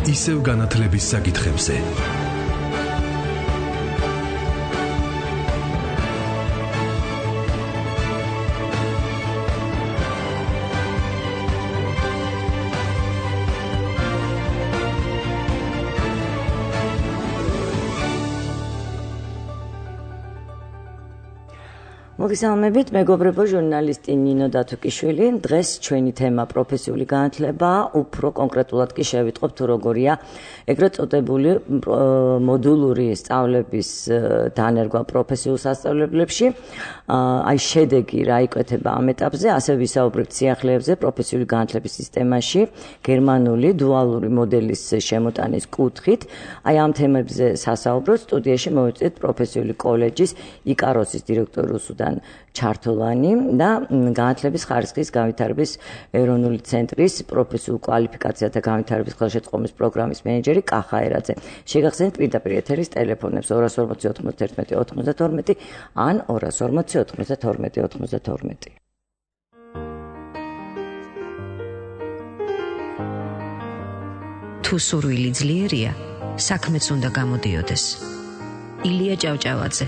ისევ განათლების საკითხებზე. მოგესალმებით, მეგობრებო, ჟურნალისტი ნინო დათუკიშვილი. დღეს ჩვენი თემა პროფესიული განათლება, უფრო კონკრეტულად კი შევიტყობ თუ როგორია ეგრეთ წოდებული მოდულური სწავლების დანერგვა პროფესიულ სასწავლებლებში. აი შედეგი რა იკვეთება ამ ეტაპზე, ასე ვისაუბრებთ სიახლეებზე პროფესიული განათლების სისტემაში, გერმანული დუალური მოდელის შემოტანის კუთხით. აი ამ თემებზე სასაუბროთ სტუდიაში მოვიწვიეთ პროფესიული კოლეჯის იკაროსის დირექტორი რუსუდან ჩართულანი და განათლების ხარისხის განვითარების ეროვნული ცენტრის პროფესიულ კვალიფიკაციათა განვითარების ხელშეწყობის პროგრამის მენეჯერი კახა ერაძე. შეგახსენებთ პირდაპირ ეთერის ტელეფონებს 240 91 92 ან 240 92 92. თუ სურვილი ძლიერია, საქმეც უნდა გამოდიოდეს. ილია ჭავჭავაძე.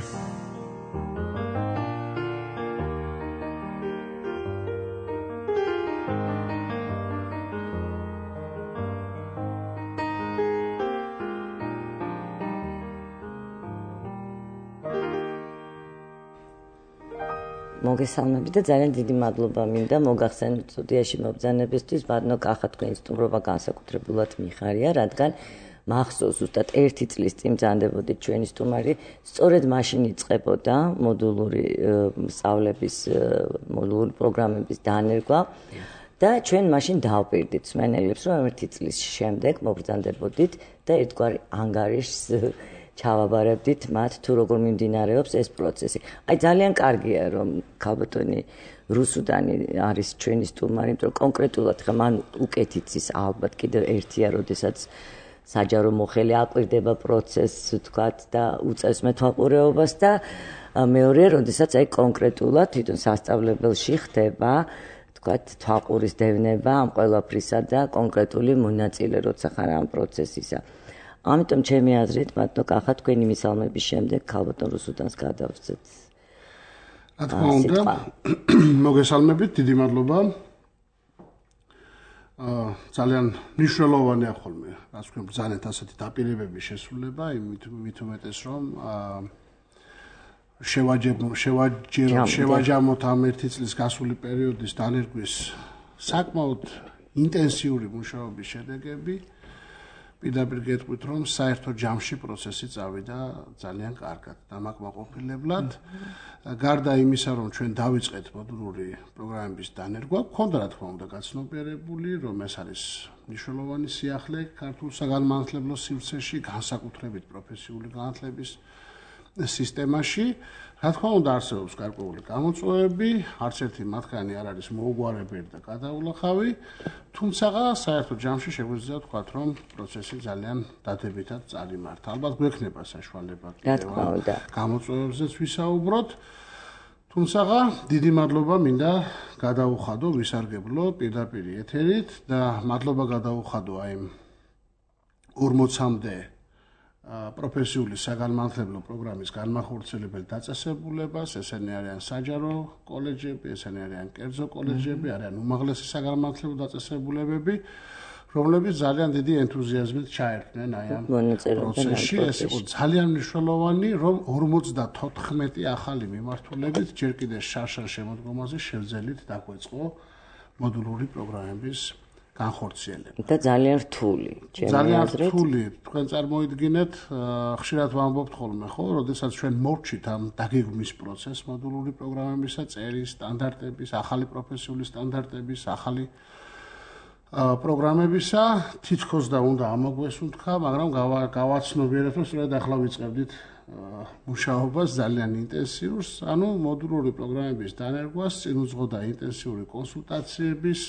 მოგესალმებით და ძალიან დიდი მადლობა მინდა მოგახსენოთ სტუდიაში მობრძანებისთვის. ბატონო კახა, თქვენი სტუმრობა განსაკუთრებულად მიხარია, რადგან მახსოვს ზუსტად 1 წლის წინ ბრძანდებოდით ჩვენი სტუმარი, სწორედ მაშინ იწყებოდა მოდულური სწავლების მოდულური პროგრამების დანერგვა და ჩვენ მაშინ დავპირდით მსმენელებს, რომ 1 წლის შემდეგ მობრძანდებოდით და ერთგვარი ანგარიშს ჩავაბარებდით მათ თუ როგორ მიმდინარეობს ეს პროცესი. აი ძალიან კარგია რომ ქალბატონი რუსუდანი არის ჩვენი სტუმარი, იმიტომ რომ კონკრეტულად ხა მან უკეთ იცის ალბათ კიდევ ერთია, როდესაც საჯარო მოხელი აკვირდება პროცესს, ვთქვათ და უწევს მეთვალყურეობას და მეორე, როდესაც აი კონკრეტულად თვითონ სასწავლებელში ხდება ვთქვათ თვალყურის დევნება ამ ყველაფრისა და კონკრეტული მონაწილე როცა ხარ ამ პროცესისა. ამიტომ ჩემი აზრით, ბატონო კახა, თქვენი მისალმების შემდეგ ქალბატონ რუსუდანს გადავწეთ. რა თქმა უნდა, მოგესალმებით, დიდი მადლობა. ძალიან მნიშვნელოვანია ხოლმე, რაც თქვენ ბრძანეთ ასეთი დაპირებების შესრულება, იმით უმეტეს რომ შევაჯამოთ ამ 1 წლის გასული პერიოდის დანერგვის საკმაოდ ინტენსიური მუშაობის შედეგები. პირდაპირ გეტყვით, რომ საერთო ჯამში პროცესი წავიდა ძალიან კარგად, დამაკმაყოფილებლად. გარდა იმისა, რომ ჩვენ დავიწყეთ მოდულური პროგრამების დანერგვა, გქონდა რა თქმა უნდა გაცნობიერებული, რომ ეს არის მნიშვნელოვანი სიახლე ქართულ საგანმანათლებლო სივრცეში, განსაკუთრებით პროფესიული განათლების სისტემაში. რა თქმა უნდა არსებობს გარკვეული გამოწვევები, არც ერთი მათგანი არ არის მოუგვარებელი და გადაულახავი, თუმცა საერთო ჯამში შეგვიძლია ვთქვათ, რომ პროცესი ძალიან დადებითად წარიმართა. ალბათ გვექნება საშუალება კიდევ გამოწვევებზეც ვისაუბროთ. თუმცა დიდი მადლობა მინდა გადაუხადო ვისარგებლო პირდაპირ ეთერით და მადლობა გადაუხადო აი 40-მდე პროფესიული საგანმანათლებლო პროგრამის განმახორციელებელ დაწესებულებას, ესენი არიან საჯარო კოლეჯები, ესენი არიან კერძო კოლეჯები, არიან უმაღლესი საგანმანათლებლო დაწესებულებები, რომლებიც ძალიან დიდი ენთუზიაზმით ჩაერთნენ აი ამ პროცესში. ეს იყო ძალიან მნიშვნელოვანი, რომ 54 ახალი მიმართულებით ჯერ კიდევ შარშან შემოდგომაზე შევძელით დაგვეწყო მოდულური პროგრამების განხორციელება. და ძალიან რთული, ძალიან რთული. თქვენ წარმოიდგინეთ, ხშირად ვამბობთ ხოლმე, ხო, როდესაც ჩვენ მოვჩით ამ დაგეგმვის პროცესს მოდულური პროგრამებისა, წერის სტანდარტების, ახალი პროფესიული სტანდარტების, ახალი პროგრამებისა, თითქოს და უნდა ამოგვესუნთქა, მაგრამ გავაცნობიერეთ, რომ სწორედ ახლა ვიწყებდით მუშაობას ძალიან ინტენსიურს, ანუ მოდულური პროგრამების დანერგვას წინ უძღოდა ინტენსიური კონსულტაციების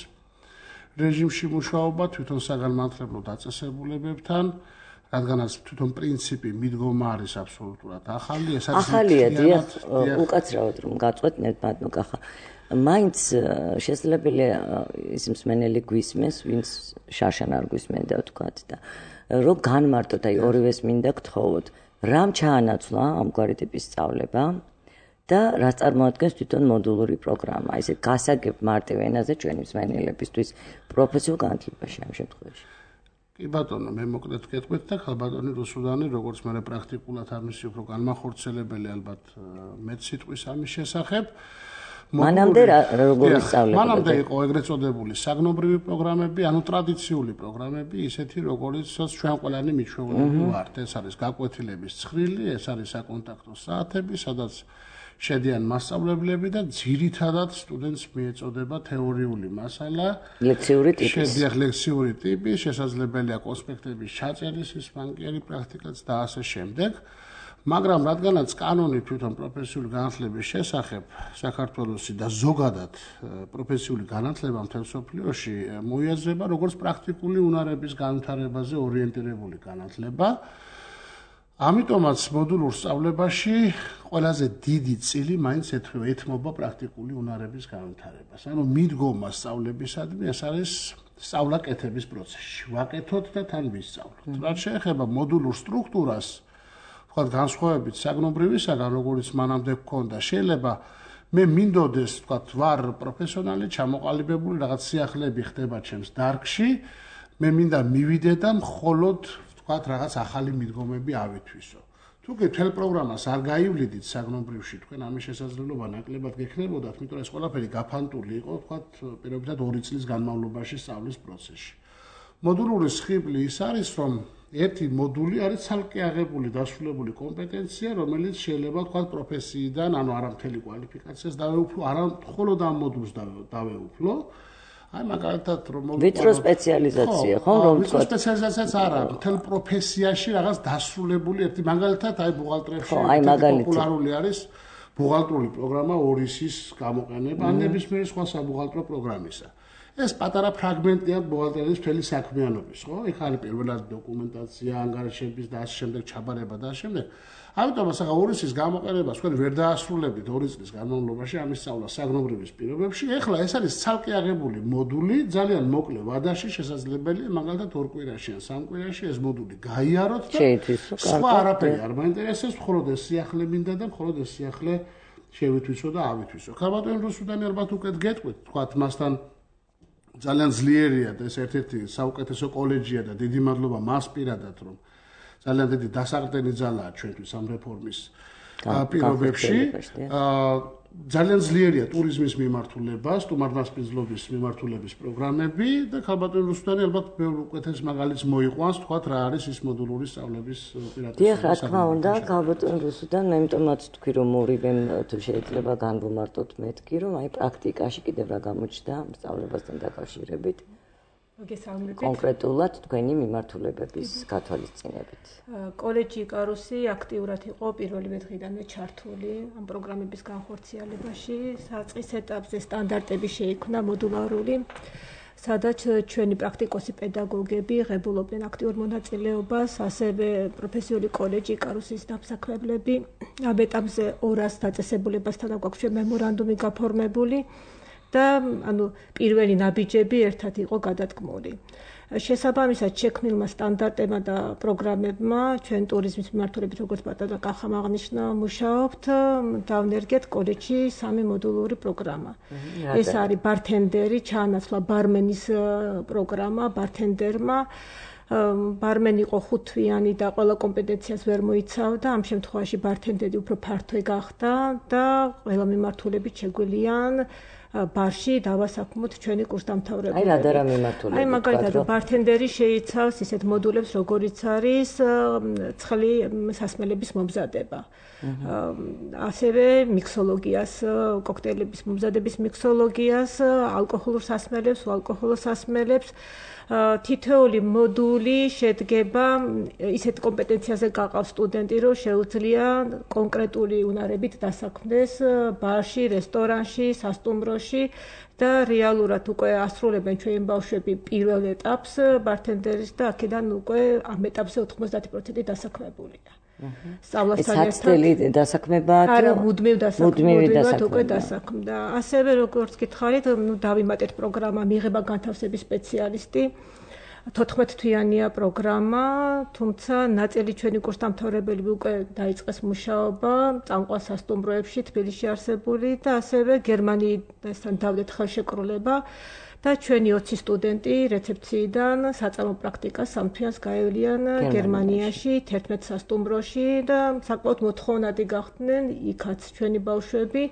რეჟიმში მუშაობა თვითონ საგანმანათლებლო დაწესებულებებთან, რადგანაც თვითონ პრინციპი მიდგომა არის აბსოლუტურად ახალი, ეს არის ახალია, დიახ, უკაცრავად რომ გაწყვეტ ნებადნო კახა. მაინც შესაძლებელია ის მსმენელი გვისმენს, ვინც შარშან არ გვისმენდა ვთქვათ და რომ განმარტოთ, აი ორივეს მინდა გთხოვოთ, რამ ჩაანაცვლა ამგვარი ტიპის სწავლება და რაც წარმოადგენს თვითონ მოდულური პროგრამა, ესე გასაგებ მარტივ ენაზე ჩვენი მსმენელებისთვის პროფესიულ განათლებაში ამ შემთხვევაში. კი ბატონო, მე მოკლედ გეტყვით და ხალბატონი რუსუდანი, როგორც მე პრაქტიკულად ამისი უფრო განმახორციელებელი ალბათ მეც სიტყვის ამის შესახებ. მანამდე როგორ ისწავლებოდა? მანამდე იყო ეგრეთ წოდებული საგნობრივი პროგრამები, ანუ ტრადიციული პროგრამები, ისეთი როგორიცაც ჩვენ ყველანი მიჩვეულები ვართ. ეს არის გაკვეთილების ცხრილი, ეს არის საკონტაქტო საათები, სადაც შედიან მასწავლებლები და ძირითადად სტუდენტს მიეწოდება თეორიული მასალა, ლექციური ტიპის. შედიან ლექციური ტიპის, შესაძლებელია კონსპექტების ჩაწერის, ის ბანკიერი პრაქტიკაც და ასე შემდეგ. მაგრამ რადგანაც კანონი თვითონ პროფესიული განათლების შესახებ საქართველოსი და ზოგადად პროფესიული განათლება მთელ მსოფლიოში მოიაზრება როგორც პრაქტიკული უნარების განვითარებაზე ორიენტირებული განათლება. ამიტომაც მოდულურ სწავლებაში ყველაზე დიდი წილი მაინც ეთმობა პრაქტიკული უნარების განვითარებას. ანუ მიდგომა სწავლებისადმი ეს არის სწავლა-კეთების პროცესში. ვაკეთოთ და თან ვისწავლოთ. რაც შეეხება მოდულურ სტრუქტურას, თქვათ განსხვავებით საგნობრივისაგან, როგორც მანამდე გქონდა, შეიძლება მე მინდოდეს, თქვათ, ვარ პროფესიონალი, ჩამოყალიბებული, რაღაც სიახლეები ხდება ჩემს დარგში, მე მინდა მივიდე და მხოლოდ თქვათ რაღაც ახალი მიდგომები ავითვისო. თუ კი მთელ პროგრამას არ გაივლიდით საგნობრივში, თქვენ ამის შესაძლებლობა ნაკლებად გექნებოდათ, იმიტომ რომ ეს ყველაფერი გაფანტული იყო, თქვათ, პირობითად 2 წლის განმავლობაში სწავლის პროცესში. მოდულური სხიბლი ის არის, რომ ერთი მოდული არის ცალკე აღებული დასრულებული კომპეტენცია, რომელიც შეიძლება თქვათ პროფესიიდან, ანუ არა მთელი კვალიფიკაციას დავეუფლო, არა მხოლოდ ამ მოდულს დავეუფლო. აი მაგალითად რომ ვიტრო სპეციალიზაცია, ხო, რომ ვიტრო სპეციალიზაციაც არა, მთელ პროფესიაში რაღაც დასრულებული ერთი მაგალითად აი ბუღალტრებში პოპულარული არის ბუღალტრული პროგრამა ორისის გამოყენება, ან ნებისმიერი სხვა საბუღალტრო პროგრამისა. ეს პატარა ფრაგმენტია ბუღალტერიის მთელი საქმიანობის, ხო? იქ არის პირველად დოკუმენტაცია, ანგარიშების და ასე შემდეგ ჩაბარება და ასე შემდეგ. ამიტომ ასაღა ორისის გამოყენებას თქვენ ვერ დაასრულებთ 2 წლის განმავლობაში ამის სწავლა საგნობრივის პირობებში. ეხლა ეს არის ცალკე აღებული მოდული, ძალიან მოკლე ვადაში შესაძლებელია მაგალითად 2 კვირაში ან 3 კვირაში ეს მოდული გაიაროთ და სხვა არაფერი არ მაინტერესებს, მხოლოდ ეს სიახლე მინდა და მხოლოდ ეს სიახლე შევითვისო და ავითვისო. ხალბატონი რუსუდანი ალბათ უკეთ გეტყვით, თქვათ მასთან ძალიან ძლიერია და ეს ერთ-ერთი საუკეთესო კოლეჯია და დიდი მადლობა მას პირადად, რომ ძალიან დიდი დასაყრდენი ძალაა ჩვენთვის ამ რეფორმის პირობებში. ძალიან ძლიერია ტურიზმის მიმართულება, სტუმართმასპინძლობის მიმართულების პროგრამები და ხალბატონი რუსუდანი ალბათ ბევრ უკეთეს მაგალითს მოიყვანს, თქვათ რა არის ის მოდულური სწავლების პირატები. დიახ, რა თქმა უნდა, ხალბატონი რუსუდანი, მე იმიტომაც თქვი, რომ ორივემ თუ შეიძლება განვუმარტოთ მეთქი, რომ აი პრაქტიკაში კიდევ რა გამოჩნდა ამ სწავლებასთან დაკავშირებით. კონკრეტულად თქვენი მიმართულებების გათვალისწინებით. კოლეჯი იკარუსი აქტიურად იყო პირველივე დღიდანვე ჩართული ამ პროგრამების განხორციელებაში. საწყის ეტაპზე სტანდარტები შეიქმნა მოდულარული, სადაც ჩვენი პრაქტიკოსი პედაგოგები ღებულობდნენ აქტიურ მონაწილეობას, ასევე პროფესიული კოლეჯი იკარუსის დამსაქმებლები. ამ ეტაპზე 200 დაწესებულებასთან აქვს მემორანდუმი გაფორმებული. და ანუ პირველი ნაბიჯები ერთად იყო გადადგმული. შესაბამისად შექმნილმა სტანდარტებმა და პროგრამებმა ჩვენ ტურიზმის მიმართულებით როგორც პატარა კახამ აღნიშნა მუშაობთ, დავნერგეთ კოლეჯში 3 მოდულური პროგრამა. ეს არის ბართენდერი, ჩაანაცვლა ბარმენის პროგრამა ბართენდერმა. ბარმენი იყო 5 თვიანი და ყველა კომპეტენციას ვერ მოიცავდა. ამ შემთხვევაში ბართენდერი უფრო ფართო გახდა და ყველა მიმართულებით შეგვიძლიან ბარში დავასაქმოთ ჩვენი კურსდამთავრებულები. აი რა და რა მიმართულებით? აი მაგალითად ბართენდერი შეიცავს ისეთ მოდულებს, როგორიც არის ცხელი სასმელების მომზადება. ასევე მიქსოლოგიას, კოქტეილების მომზადების მიქსოლოგიას, ალკოჰოლურ სასმელებს, უალკოჰოლურ სასმელებს. თითოეული მოდული შედგება ისეთ კომპეტენციაზე გაყავს სტუდენტი, რომ შეუძლია კონკრეტული უნარებით დასაქმდეს ბარში, რესტორანში, სასტუმროში სატუმბროში და რეალურად უკვე ასრულებენ ჩვენი ბავშვები პირველ ეტაპს ბართენდერის და აქედან უკვე ამ ეტაპზე 90% დასაქმებულია. საცდელი დასაქმებაა არა მუდმივად უკვე დასაქმდა. ასევე როგორც გითხარით, დავიმატეთ პროგრამა მიღება განთავსების სპეციალისტი 14 თვიანია პროგრამა, თუმცა ნაწილი ჩვენი კურსდამთავრებელი უკვე დაიწყეს მუშაობა წამყვან სასტუმროებში თბილისში არსებული და ასევე გერმანიასთან დავდეთ ხელშეკრულება და ჩვენი 20 სტუდენტი რეცეფციიდან საწარმო პრაქტიკას 3 თვეას გაევლიან გერმანიაში 11 სასტუმროში და საკმაოდ მოთხოვნადი გახდნენ იქაც ჩვენი ბავშვები.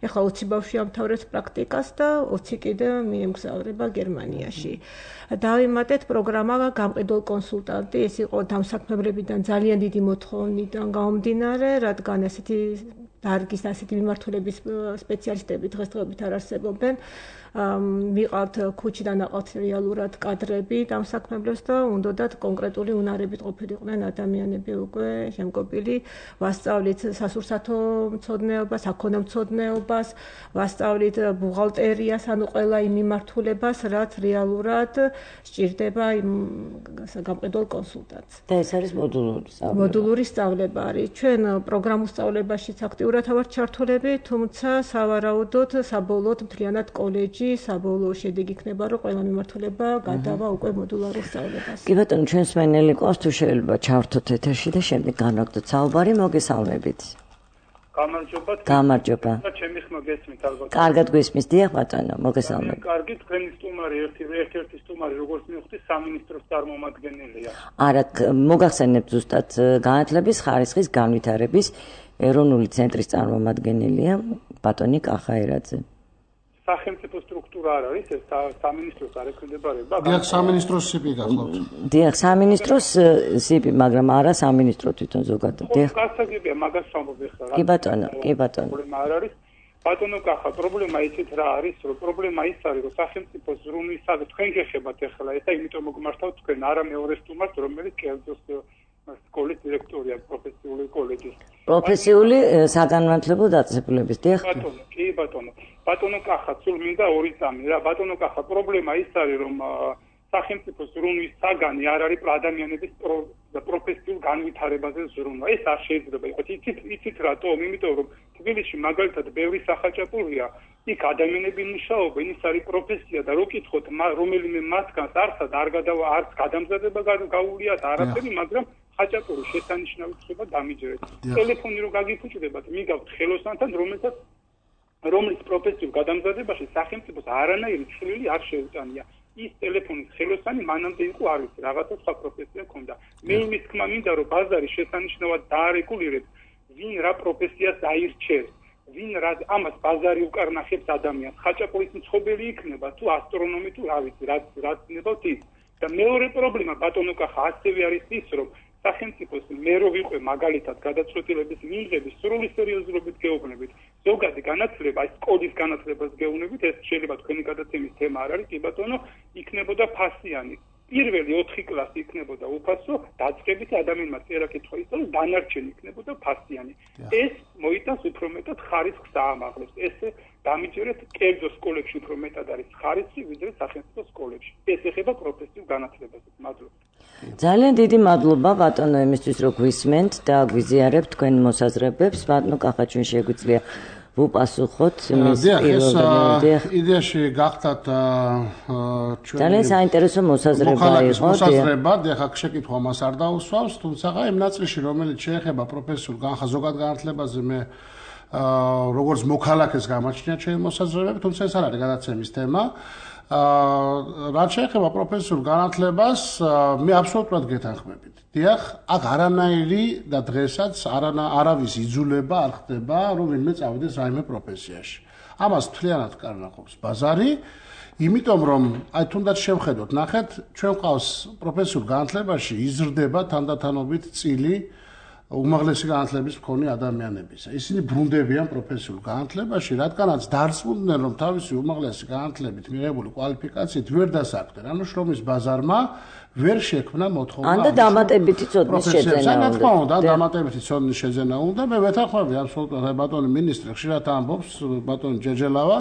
ეხლა 20 ბავშვი ამთავრებს პრაქტიკას და 20 კიდე მიემგზავრება გერმანიაში. დავიმატეთ პროგრამა გამყიდველ კონსულტანტი, ეს იყო დამსაქმებლებიდან ძალიან დიდი მოთხოვნიდან გამომდინარე, რადგან ესეთი დარგის ასეთი მიმართულების სპეციალისტები დღესდღეობით არ არსებობენ. მიყავთ ქუჩიდან აყავთ რეალურად კადრები დამსაქმებლებს და უნდათ კონკრეტული უნარებით ყოფილიყვნენ ადამიანები უკვე შემკობილი. ვასწავლით სასურსათო მცოდნეობას, საქონლომცოდნეობას, ვასწავლით ბუღალტერიას, ანუ ყველა იმ მიმართულებას, რაც რეალურად სჭირდება იმ გამყიდველ კონსულტანტს. და ეს არის მოდულური სწავლება არის. ჩვენ პროგრამულ სწავლებაშიც აქტიურად ვართ ჩართულები, თუმცა სავარაუდოდ საბოლოოდ მთლიანად კოლეჯი საბოლოო შედეგი იქნება, რომ ყველა მიმართულება გადავა უკვე მოდულარულ სწავლებას. კი ბატონო, ჩვენს მენელი ყავს თუ შეიძლება ჩავრთოთ ეთერში და შემდეგ განვაგდოთ საუბარი, მოგესალმებით. გამარჯობა. ჩემი ხმა გესმით ალბათ. კარგად გვისმის, დიახ ბატონო, მოგესალმებით. კარგი, თქვენი სტუმარი ერთ-ერთი სტუმარი როგორც მივხვდი, სამინისტროს წარმომადგენელია. არა, მოგახსენებთ ზუსტად განათლების ხარისხის განვითარების ეროვნული ცენტრის წარმომადგენელია ბატონი კახაერაძე. სახელმწიფო სტრუქტურა არ არის, ეს სამინისტროს არ ექვემდებარება. დიახ, სამინისტროს სიპი გახლავთ. დიახ, სამინისტროს სიპი, მაგრამ არა სამინისტრო თვითონ ზოგადად. დიახ. გასაგებია მაგას ვამბობ ახლა. კი ბატონო, კი ბატონო. პრობლემა არ არის. ბატონო კახა, პრობლემა ისიც რა არის, რომ პრობლემა ის არის, რომ სახელმწიფო ზრუნვისაგ თქვენ გეხებათ ახლა ეს და იმიტომ მოგმართავთ თქვენ არა მეორე სტუმარს, რომელიც კერძოს სკოლის დირექტორია პროფესიული კოლეჯის. პროფესიული საგანმანათლებლო დაწესებულების, დიახ. ბატონო, კი ბატონო. ბატონო კახა, სულ მინდა ორი წამი რა. ბატონო კახა, პრობლემა ის არის, რომ სახელმწიფო ზრუნვის საგანი არ არის ადამიანების პროფესიულ განვითარებაზე ზრუნვა. ეს არ შეიძლება იყოს. იცით რატომ? იმიტომ რომ თბილისში მაგალითად ბევრი სახაჭაპურია, იქ ადამიანები მუშაობენ, ის არის პროფესია და რო კითხოთ, რომელიმე მათგანს არც გადამზადება გაუულია და არაფერი, მაგრამ ხაჭაპური შესანიშნავი ხდება დამიჯერეთ. ტელეფონი რო გაგიფუჭდებათ, მიგავთ ხელოსანთან, რომლის პროფესიულ გადამზადებაში სახელმწიფოს არანაირი ცვლილი არ შეუტანია. ის ტელეფონის ხელოსანი მანამდე იყო არ ვიცი, რაღაცა სხვა პროფესია ჰქონდა. მე იმის თქმა მინდა, რომ ბაზარი შესანიშნავად დაარეგულირებს, ვინ რა პროფესიას აირჩევს, ვინ რა ამას ბაზარი უკარნახებს ადამიანს. ხაჭაპურის მცხოვრებელი იქნება თუ ასტრონომი თუ რა ვიცი, რაც ნებავთ ის. და მეორე პრობლემა ბატონო კახა ასევე არის ის, რომ სახელმწიფოს მე რო ვიყვე მაგალითად გადაწყვეტილების მიღების სრული სერიოზულობით გეუბნებით. ზოგადი განათლება, ეს კოდის განათლებას გეუბნებით, ეს შეიძლება თქვენი გადაცემის თემა არ არის, კი ბატონო, იქნებოდა ფასიანი. პირველი 4 კლასი იქნებოდა უფასო, დაწყებითი ადამიანმა წერა კითხვა ისწავლოს, დანარჩენი იქნებოდა ფასიანი. ეს მოიტანს უფრო მეტად ხარისხს აამაღლებს. ესე დამიჯერეთ კერძო სკოლებში უფრო მეტად არის ხარისხი, ვიდრე სახელმწიფო სკოლებში. ეს ეხება პროფესიულ განათლებას. მადლობა. ძალიან დიდი მადლობა ბატონო იმისთვის რომ გვისმენთ და გვიზიარებთ თქვენ მოსაზრებებს. ბატონო კახა, ჩვენ შეგვიძლია ვუპასუხოთ მის პირველ იდეაში გახდათ ჩვენ ძალიან საინტერესო მოსაზრება იყო. დიახ, აქ შეკითხვა მას არ დაუსვავს, თუმცა იმ ნაწილში რომელიც შეეხება პროფესიულ ზოგად განათლებაზე მე როგორც მოქალაქეს გამაჩნია ჩემი მოსაზრებები, თუმცა ეს არ არის გადაცემის თემა. რაც შეეხება პროფესიულ განათლებას, მე აბსოლუტურად გეთანხმებით. დიახ, აქ არანაირი და დღესაც არავის იძულება არ ხდება, რომ ვინმე წავიდეს რაიმე პროფესიაში. ამას მთლიანად კარნახობს ბაზარი, იმიტომ რომ აი თუნდაც შევხედოთ, ნახეთ, ჩვენ ყავს პროფესიულ განათლებაში იზრდება თანდათანობით წილი უმაღლესი განათლების მქონე ადამიანებისა. ისინი ბრუნდებიან პროფესიულ განათლებაში, რადგანაც დარწმუნდნენ, რომ თავისი უმაღლესი განათლებით მიღებული კვალიფიკაციით ვერ დასაქმდნენ. ანუ შრომის ბაზარმა ვერ შექმნა მოთხოვნა. ან და დამატებითი ცოდნის შეძენა უნდა. რა თქმა უნდა, დამატებითი ცოდნის შეძენა უნდა. მე ვეთანხმები აბსოლუტურად ბატონი მინისტრი ხშირად ამბობს, ბატონი ჯეჯელავა,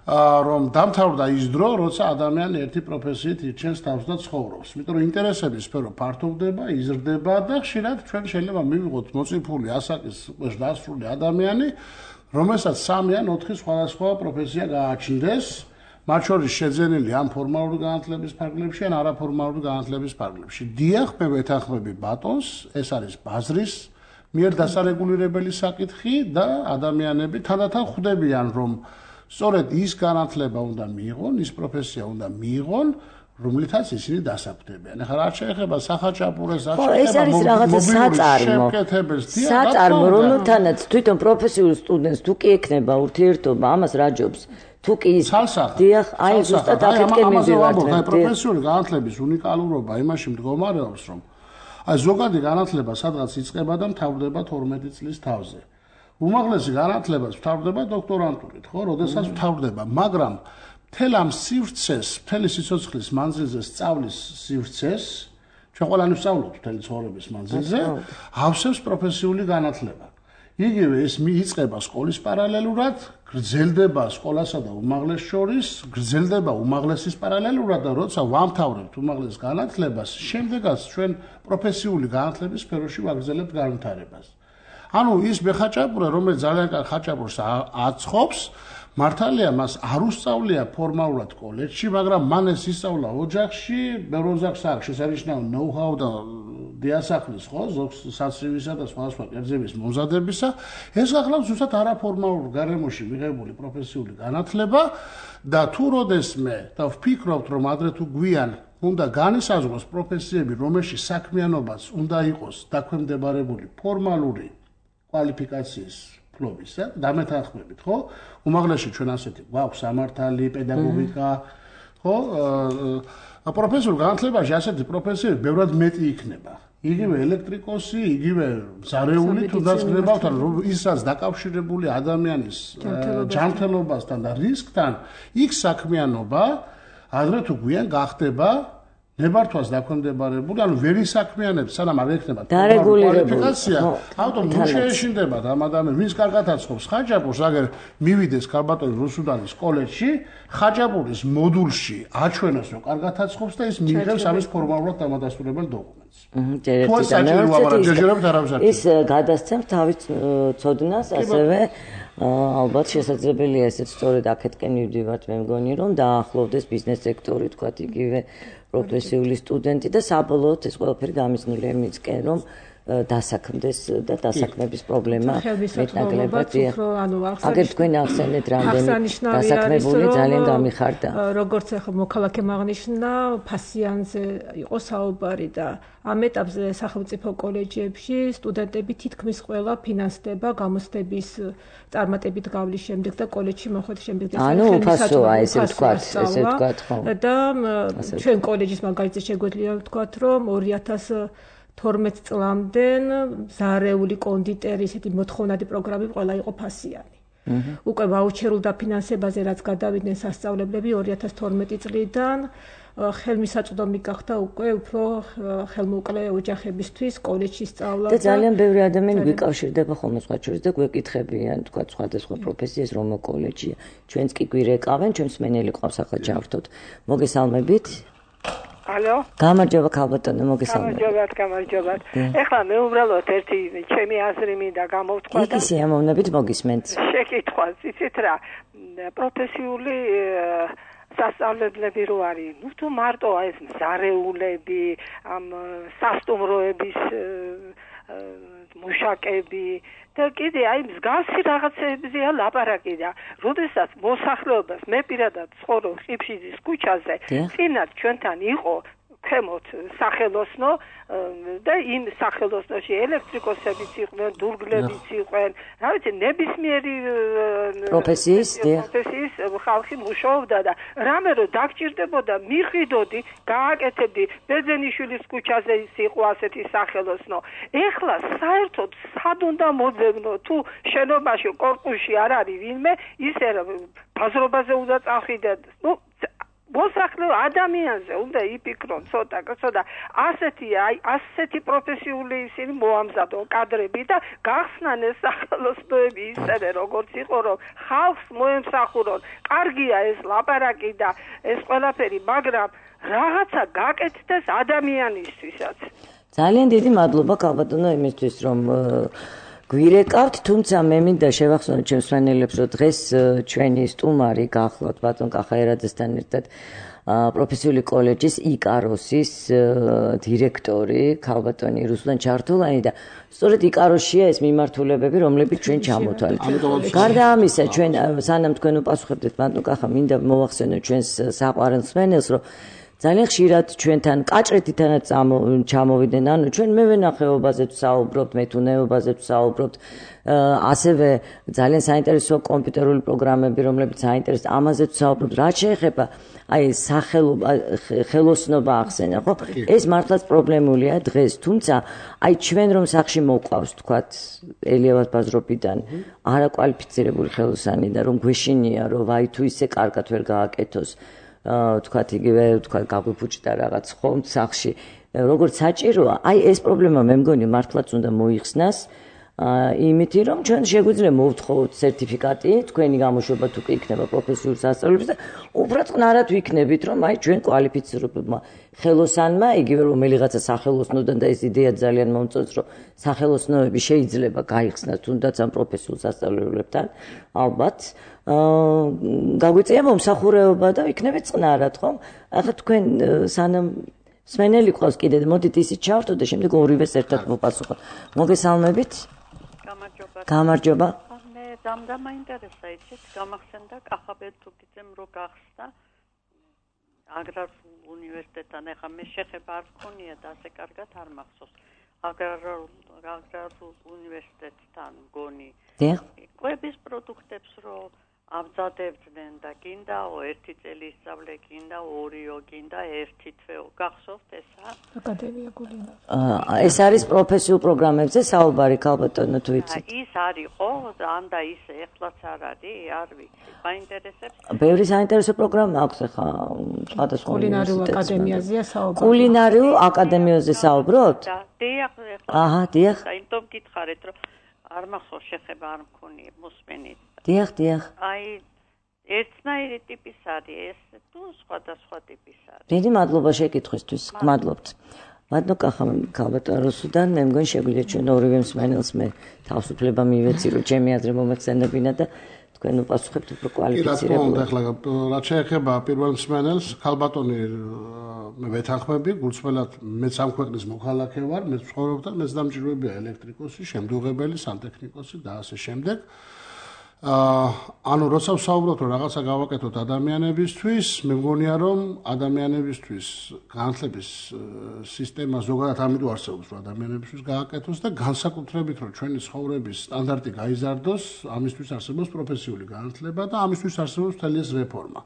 რომ დამთავრდა ის დრო, როცა ადამიანი ერთი პროფესიით ირჩენს თავს და ცხოვრობს. იმიტომ რომ ინტერესების სფერო ფართოვდება, იზრდება და ხშირად ჩვენ შეიძლება მივიღოთ მოწიფული ასაკის დასრული ადამიანი, რომელსაც 3 ან 4 სხვადასხვა პროფესია გააჩნდეს, მათ შორის შეძენილი ამ ფორმალური განათლების ფარგლებში ან არაფორმალური განათლების ფარგლებში. დიახ, მე ვეთანხმები ბატონს, ეს არის ბაზრის მიერ დასარეგულირებელი საკითხი და ადამიანები თანდათან ხვდებიან, რომ სწორედ ის განათლება უნდა მიიღონ, ის პროფესია უნდა მიიღონ, რომლითაც ისინი დასაკვდებიან. ახლა რა შეეხება სახაჭაპურეს, რა შეეხება საწარმო, რომელთანაც თვითონ პროფესიულ სტუდენტს თუ კი ექნება ურთიერთობა, ამას რა ჯობს? თუ კი ის დიახ, აი ზუსტად აქეთკენ მივიდივართ. პროფესიული განათლების უნიკალურობა იმაში მდგომარეობს, რომ აი ზოგადი განათლება სადღაც იწყება და მთავრდება 12 წლის თავზე. უმაღლესი განათლებას მთავრდება დოქტორანტურით, ხო, როდესაც მთავრდება, მაგრამ მთელ ამ სივრცეს, მთელი სიცოცხლის მანძილზე სწავლის სივრცეს, ჩვენ ყველანი ვსწავლობთ მთელი ცხოვრების მანძილზე, ავსებს პროფესიული განათლება. იგივე ეს მიიწყება სკოლის პარალელურად, გრძელდება სკოლასა და უმაღლეს შორის, გრძელდება უმაღლესის პარალელურად და როცა ვამთავრებთ უმაღლეს განათლებას, შემდეგაც ჩვენ პროფესიული განათლების სფეროში ვაგრძელებთ განვითარებას. ანუ ის მეხაჭაპურე, რომელიც ძალიან კარგ ხაჭაპურს აცხობს, მართალია მას არ უსწავლია ფორმალურად კოლეჯში, მაგრამ მან ეს ისწავლა ოჯახში, ბევრ ოჯახს აქვს შესანიშნავი ნოუ-ჰაუ და დიასახლის, ხო, ზოგს საცრივისა და სხვადასხვა კერძების მომზადებისა. ეს გახლავს ზუსტად არაფორმალურ გარემოში მიღებული პროფესიული განათლება და თუ როდესმე და ვფიქრობთ, რომ ადრე თუ გვიან უნდა განისაზღვროს პროფესიები, რომელშიც საქმიანობაც უნდა იყოს დაქვემდებარებული ფორმალური კვალიფიკაციის ფლობისა, დამეთანხმებით, ხო? უმაღლესში ჩვენ ასეთი გვაქვს სამართალი, პედაგოგიკა, ხო? პროფესიულ განათლებაში ასეთი პროფესიები ბევრად მეტი იქნება. იგივე ელექტრიკოსი, იგივე მზარეული თუნდაც გნებავთ, რომ ისაც დაკავშირებული ადამიანის ჯანმრთელობასთან და რისკთან, იქ საქმიანობა ადრე თუ გვიან გახდება ნებართვას დაქვემდებარებული, ანუ ვერ ისაქმიანებს, სანამ არ ექნება კვალიფიკაცია, ავტომ თუ შეეშინდებათ ამ ადამიანს, ვინც კარგად აცხობს ხაჭაპურს, აგერ მივიდეს ქალბატონი რუსუდანის კოლეჯში, ხაჭაპურის მოდულში აჩვენოს, რომ კარგად აცხობს და ის მიიღებს ამის ფორმალურად დამადასტურებელ დოკუმენტს. ის გადასცემს თავის ცოდნას, ასევე ალბათ შესაძლებელია ესეც სწორედ აქეთკენ მივდივართ, მე მგონი, რომ დაახლოვდეს ბიზნეს სექტორი, თქვათ იგივე პროფესიული სტუდენტი და საბოლოოდ ეს ყველაფერი გამიზნულია იმისკენ, რომ დასაქმდეს და დასაქმების პრობლემა მეტნაკლებად აგერ თქვენ ახსენეთ რამდენი დასაქმებული ძალიან გამიხარდა. როგორც ახლა მოქალაქემ აღნიშნა, ფასიანზე იყო საუბარი და ამ ეტაპზე სახელმწიფო კოლეჯებში სტუდენტები თითქმის ყველა ფინანსდება გამოცდების წარმატებით გავლის შემდეგ და კოლეჯში მოხვედრის შემდეგ ანუ უფასოა ესე ვთქვათ, ხო. და ჩვენ კოლეჯის მაგალითად შეგვიძლია ვთქვათ, რომ 2012 წლამდე ზარეული კონდიტერი ესეთი მოთხოვნადი პროგრამები ყველა იყო ფასიანი. უკვე ვაუჩერულ დაფინანსებაზე რაც გადავიდნენ სასწავლებლები 2012 წლიდან ხელმისაწვდომი გახდა უკვე უფრო ხელმოკლე ოჯახებისთვის კოლეჯში სწავლა და ძალიან ბევრი ადამიანი გვიკავშირდება ხოლმე სხვა შორის და გვეკითხებიან თქვა სხვადასხვა პროფესიას რომ კოლეჯია ჩვენც კი გვირეკავენ ჩვენს მენელი ყავს ახლა ჯავშთოთ მოგესალმებით ალო გამარჯობა ქალბატონო მოგესალმებით გამარჯობათ ეხლა მე უბრალოდ ერთი ჩემი აზრი მინდა გამოვთქვა და ისე ამოვნებით მოგისმენთ შეკითხვა იცით რა პროფესიული სასწავლებლები რო არის, ნუ თუ მარტო ეს მზარეულები, ამ სასტუმროების მუშაკები და კიდე აი მსგავსი რაღაცებზეა ლაპარაკი და როდესაც მოსახლეობას მე პირადად ცხოვრობ ხიფშიძის ქუჩაზე, წინათ ჩვენთან იყო ქვემოთ სახელოსნო და იმ სახელოსნოში ელექტრიკოსებიც იყვნენ, დურგლებიც იყვნენ, რა ვიცი, ნებისმიერი პროფესიის ხალხი მუშაობდა და რამე რო დაგჭირდებოდა, მიხვიდოდი, გააკეთებდი ბერძენიშვილის ქუჩაზე ის იყო ასეთი სახელოსნო. ეხლა საერთოდ სად უნდა მოძებნო, თუ შენობაში კორპუსში არ არის ვინმე, ისე ბაზრობაზე უნდა წახვიდეთ. ნუ მოსახლე ადამიანზე უნდა იფიქრონ ცოტა ასეთი პროფესიული ისინი მოამზადონ კადრები და გახსნან ეს სახელოსნოები ისევე როგორც იყო რომ ხალხს მოემსახურონ. კარგია ეს ლაპარაკი და ეს ყველაფერი, მაგრამ რაღაცა გაკეთდეს ადამიანისთვისაც. ძალიან დიდი მადლობა ქალბატონო იმისთვის რომ გვირეკავთ, თუმცა მე მინდა შევახსენოთ ჩემს მსმენელებს, რომ დღეს ჩვენი სტუმარი გახლავთ ბატონ კახაერაძესთან ერთად პროფესიული კოლეჯის იკაროსის დირექტორი ქალბატონი რუსლან ჩართულანი და სწორედ იკაროსშია ეს მიმართულებები, რომლებიც ჩვენ ჩამოთვალეთ. გარდა ამისა, ჩვენ სანამ თქვენ უპასუხებდეთ ბატონ კახა, მინდა მოვახსენოთ ჩვენს საყვარელ მსმენელს, რომ ძალიან ხშირად ჩვენთან კაჭრეთითანაც ჩამოვიდნენ, ანუ ჩვენ მევენახეობაზე ვსაუბრობთ, მეთუნეობაზე ვსაუბრობთ, ასევე ძალიან საინტერესო კომპიუტერული პროგრამები, რომლებიც საინტერესო, ამაზე ვსაუბრობთ. რაც შეეხება აი ხელოსნობა ახსენა, ხო? ეს მართლაც პრობლემულია დღეს, თუმცა აი ჩვენ რომ სახში მოყვავს, თქვათ, ელიავად ბაზრობიდან არაკვალიფიცირებული ხელოსანი და რომ გვეშინია, რომ ვაი თუ ისე კარგად ვერ გააკეთოს თქვათ იგივე თქვათ გაგვიფუჭდა რაღაც ხომ სახში როგორც საჭიროა აი ეს პრობლემა მე მგონი მართლაც უნდა მოიხსნას იმითი რომ ჩვენ შეგვიძლია მოვთხოვოთ სერტიფიკატი თქვენი გამოშვება თუ კი იქნება პროფესიულ სასწავლებლებს და უფრო წყნარად ვიქნებით რომ აი ჩვენ კვალიფიცირებულმა ხელოსანმა იგივე რომელიღაცა სახელოსნოდან და ეს იდეა ძალიან მომწონს რომ სახელოსნოები შეიძლება გაიხსნას თუნდაც ამ პროფესიულ სასწავლებლებთან ალბათ გაგვიწია მომსახურეობა და იქნებით წყნარად ხომ ახლა თქვენ სანამ მსმენელი ყავს კიდე მოდით ისიც ჩავთო და შემდეგ ორივეს ერთად მოპასუხოთ მოგესალმებით გამარჯობა მე დამდა მაინტერესა იცით გამახსენდა კახაბეთუკიძემ რო გახსნა აგრარულ უნივერსიტეტთან ახლა მე შეხება არ მქონია და ასე კარგად არ მახსოვს აგრარულ უნივერსიტეტთან მგონი კვების პროდუქტებს რო ამზადებდნენ და გინდაო ერთი წელი ისწავლე გინდა ორიო გინდა ერთი თვეო გახსოვთ ესა აკადემია გულინარი ეს არის პროფესიულ პროგრამებზე საუბარი ქალბატონო თუ იცით ის არის ხო ან და ისე ეხლაც არ არის არ ვიცი მაინტერესებს ბევრი საინტერესო პროგრამა აქვს ახლა სხვადასხვა კულინარიულ აკადემიაზეა საუბარი კულინარიულ აკადემიაზე საუბრობთ დიახ აჰა დიახ საერთოდ გითხარით რომ არ მახსოვს შეხება არ მქონია მოსმენით დიახ აი ერთნაირი ტიპის არის ეს თუ სხვადასხვა ტიპის არის დიდი მადლობა შეკითხვისთვის გმადლობთ ბატონო კახა ქალბატონოსიდან მე მგონი შეგვიძლია ჩვენ ორივე მსმენელს მე თავისუფლება მივეცი რომ ჩემი აზრი მომეხსენებინა და თქვენ უპასუხებთ უფრო კვალიფიცირებული ახლა რაც შეეხება პირველ მსმენელს ქალბატონი მე ვეთანხმები გულწრფელად მეც ამ ქვეყნის მოქალაქე ვარ მე ვცხოვრობ და მეც დამჭირვებია ელექტრიკოსი შემდუღებელი სანტექნიკოსი და ასე შემდეგ ანუ როცა ვსაუბრობთ რომ რაღაცა გავაკეთოთ ადამიანებისთვის მე მგონია რომ ადამიანებისთვის განათლების სისტემა ზოგადად ამიტომ არსებობს რომ ადამიანებისთვის გააკეთოს და განსაკუთრებით რომ ჩვენი ცხოვრების სტანდარტი გაიზარდოს ამისთვის არსებობს პროფესიული განათლება და ამისთვის არსებობს მთელი ეს რეფორმა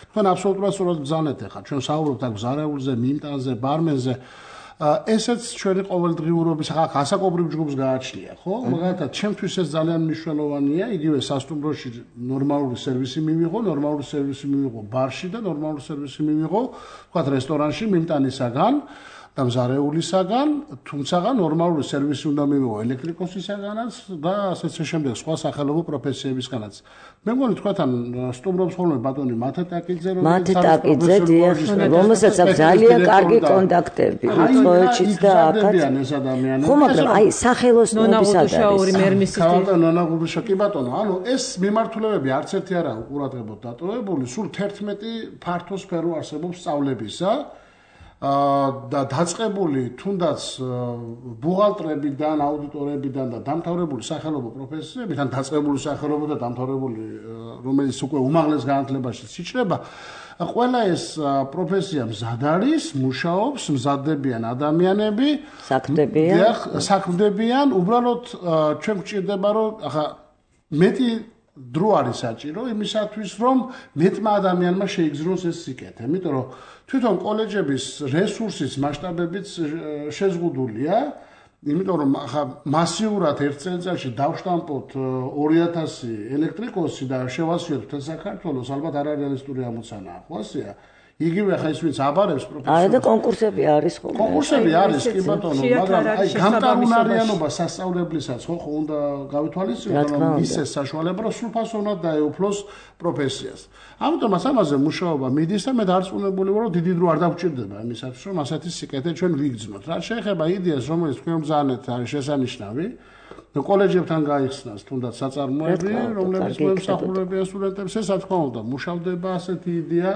თქვენ აბსოლუტურად სწორად ბრძანეთ ახლა ჩვენ საუბრობთ აქ ზარეულზე მიმტანზე ბარმენზე ესეც ჩვენი ყოველდღიურობის ასაკობრივ ჯგუფს გააჩნია, ხო? მაგალითად, ჩემთვის ეს ძალიან მნიშვნელოვანია, იგივე სასტუმროში ნორმალური სერვისი მივიღო ბარში და ნორმალური სერვისი მივიღო, თქვათ რესტორანში მიმტანისაგან და მზარეულისაგან, თუმცა ნორმალური სერვისი უნდა მივიღო ელექტრიკოსისაგანაც და ასეც შემდეგ სხვა სახელმწიფო პროფესიებისგანაც. მე მგონი თქვენთან სტუმრობს ხოლმე ბატონი მათეტაკიძე რომელსაც აქვს ძალიან კარგი კონტაქტები რიცხოეთშიც და აქაც ეს ადამიანები ხო მაგრამ აი სახელოსნოების არის კი ბატონო ანუ ეს მიმართულებები არც ერთი არა უყურადღებოდ დატოვებული სულ 11 ფართო სფერო არსებობს სწავლებისა და დაწყებული თუნდაც ბუღალტრებიდან, აუდიტორებიდან და დამთავრებული სახელმწიფო პროფესიებიდან დაწყებული სახელმწიფო და დამთავრებული რომელიც უკვე უმაღლეს განათლებაში იჭრება, ყველა ეს პროფესია მზად არის, მუშაობს, მზადდებიან ადამიანები, საქმდებიან, უბრალოდ ჩვენ გვჭირდება რომ ახლა მეტი დრო არის საჭირო იმისათვის რომ მეტმა ადამიანმა შეიგზნოს ეს სიკეთე, იმიტომ რომ თვითონ კოლეჯების რესურსის მასშტაბებიც შეზღუდულია, იმიტომ რომ ახლა მასიურად ერთ წელიწადში დავშტამპოთ 2000 ელექტრიკოსი და შევასიოთ მთელ საქართველოს, ალბათ არარეალისტური ამოცანაა, ხო ასეა? იგივე ხა ის ვინც აბარებს პროფესიას. არა და კონკურსები არის ხო? კონკურსები არის კი ბატონო, მაგრამ აი გამტარუნარიანობა სასწავლებლისას ხო უნდა გავითვალისწინოთ, რომ ისე საშუალება რომ სრულფასოვნად დაეუფლოს პროფესიას. ამიტომაც ამაზე მუშაობა მიდის და მე დარწმუნებული ვარ, რომ დიდი დრო არ დაგვჭირდება იმისათვის, რომ ასეთი სიკეთე ჩვენ ვიგრძნოთ. რაც შეეხება იდეას, რომელიც თქვენ ბრძანეთ, არის შესანიშნავი. კოლეჯებთან გაიხსნას თუნდაც საწარმოები, რომლებიც მოემსახურებიან სტუდენტებს, ეს რა თქმა უნდა, მუშავდება ასეთი იდეა,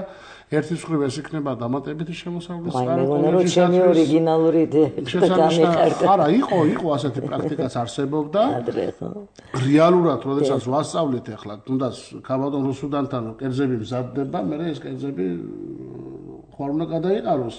ერთის მხრივ ეს იქნება დამატებითი შემოსავლის კოლეჯის ჩემი ორიგინალური იდეა. არა, იყო ასეთი პრაქტიკაც არსებობდა. რეალურად, როდესაც ვასწავლეთ ახლა, თუნდაც ქაბადონ რუსუდანთან კერძები მზადდება, მე ეს კერძები ხوار უნდა გადაიყაროს.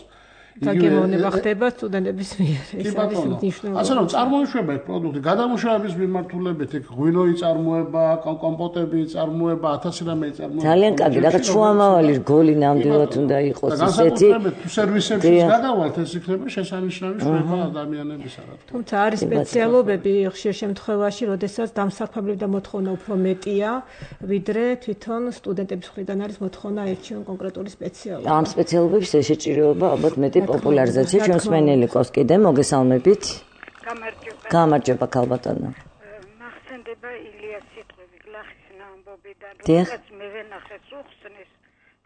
დაგემოვნება ხდება სტუდენტების მიერ. ეს არის მნიშვნელოვანი. ასე რომ წარმოიშვება ეს პროდუქტი, გადამუშავების მიმართულებით იქ ღვინო იწარმოება, კომპოტები იწარმოება, 1000 რამე იწარმოება. ძალიან კარგი, რაღაც შუამავალი რგოლი ნამდვილად უნდა იყოს ისეთი. თუ სერვისებში გადავალთ, ეს იქნება შესანიშნავი შროება ადამიანებისა რა თქმა უნდა. თუმცა არის სპეციალობები ხშირ შემთხვევაში, როდესაც დამსახურებელი და მოთხოვნა უფრო მეტია, ვიდრე თვითონ სტუდენტების მხრიდან არის მოთხოვნა ერთჩიონ კონკრეტული სპეციალობა. ამ სპეციალობების შეჭირება ალბათ მეტი პოპულარიზაცია ჩვენს მენელიკოს კიდე მოგესალმებით. გამარჯობა ქალბატონო. მახსენდება ილიას სიტყვები გლახის ამბობიდან, როდესაც მე ვენახე სუხსნის,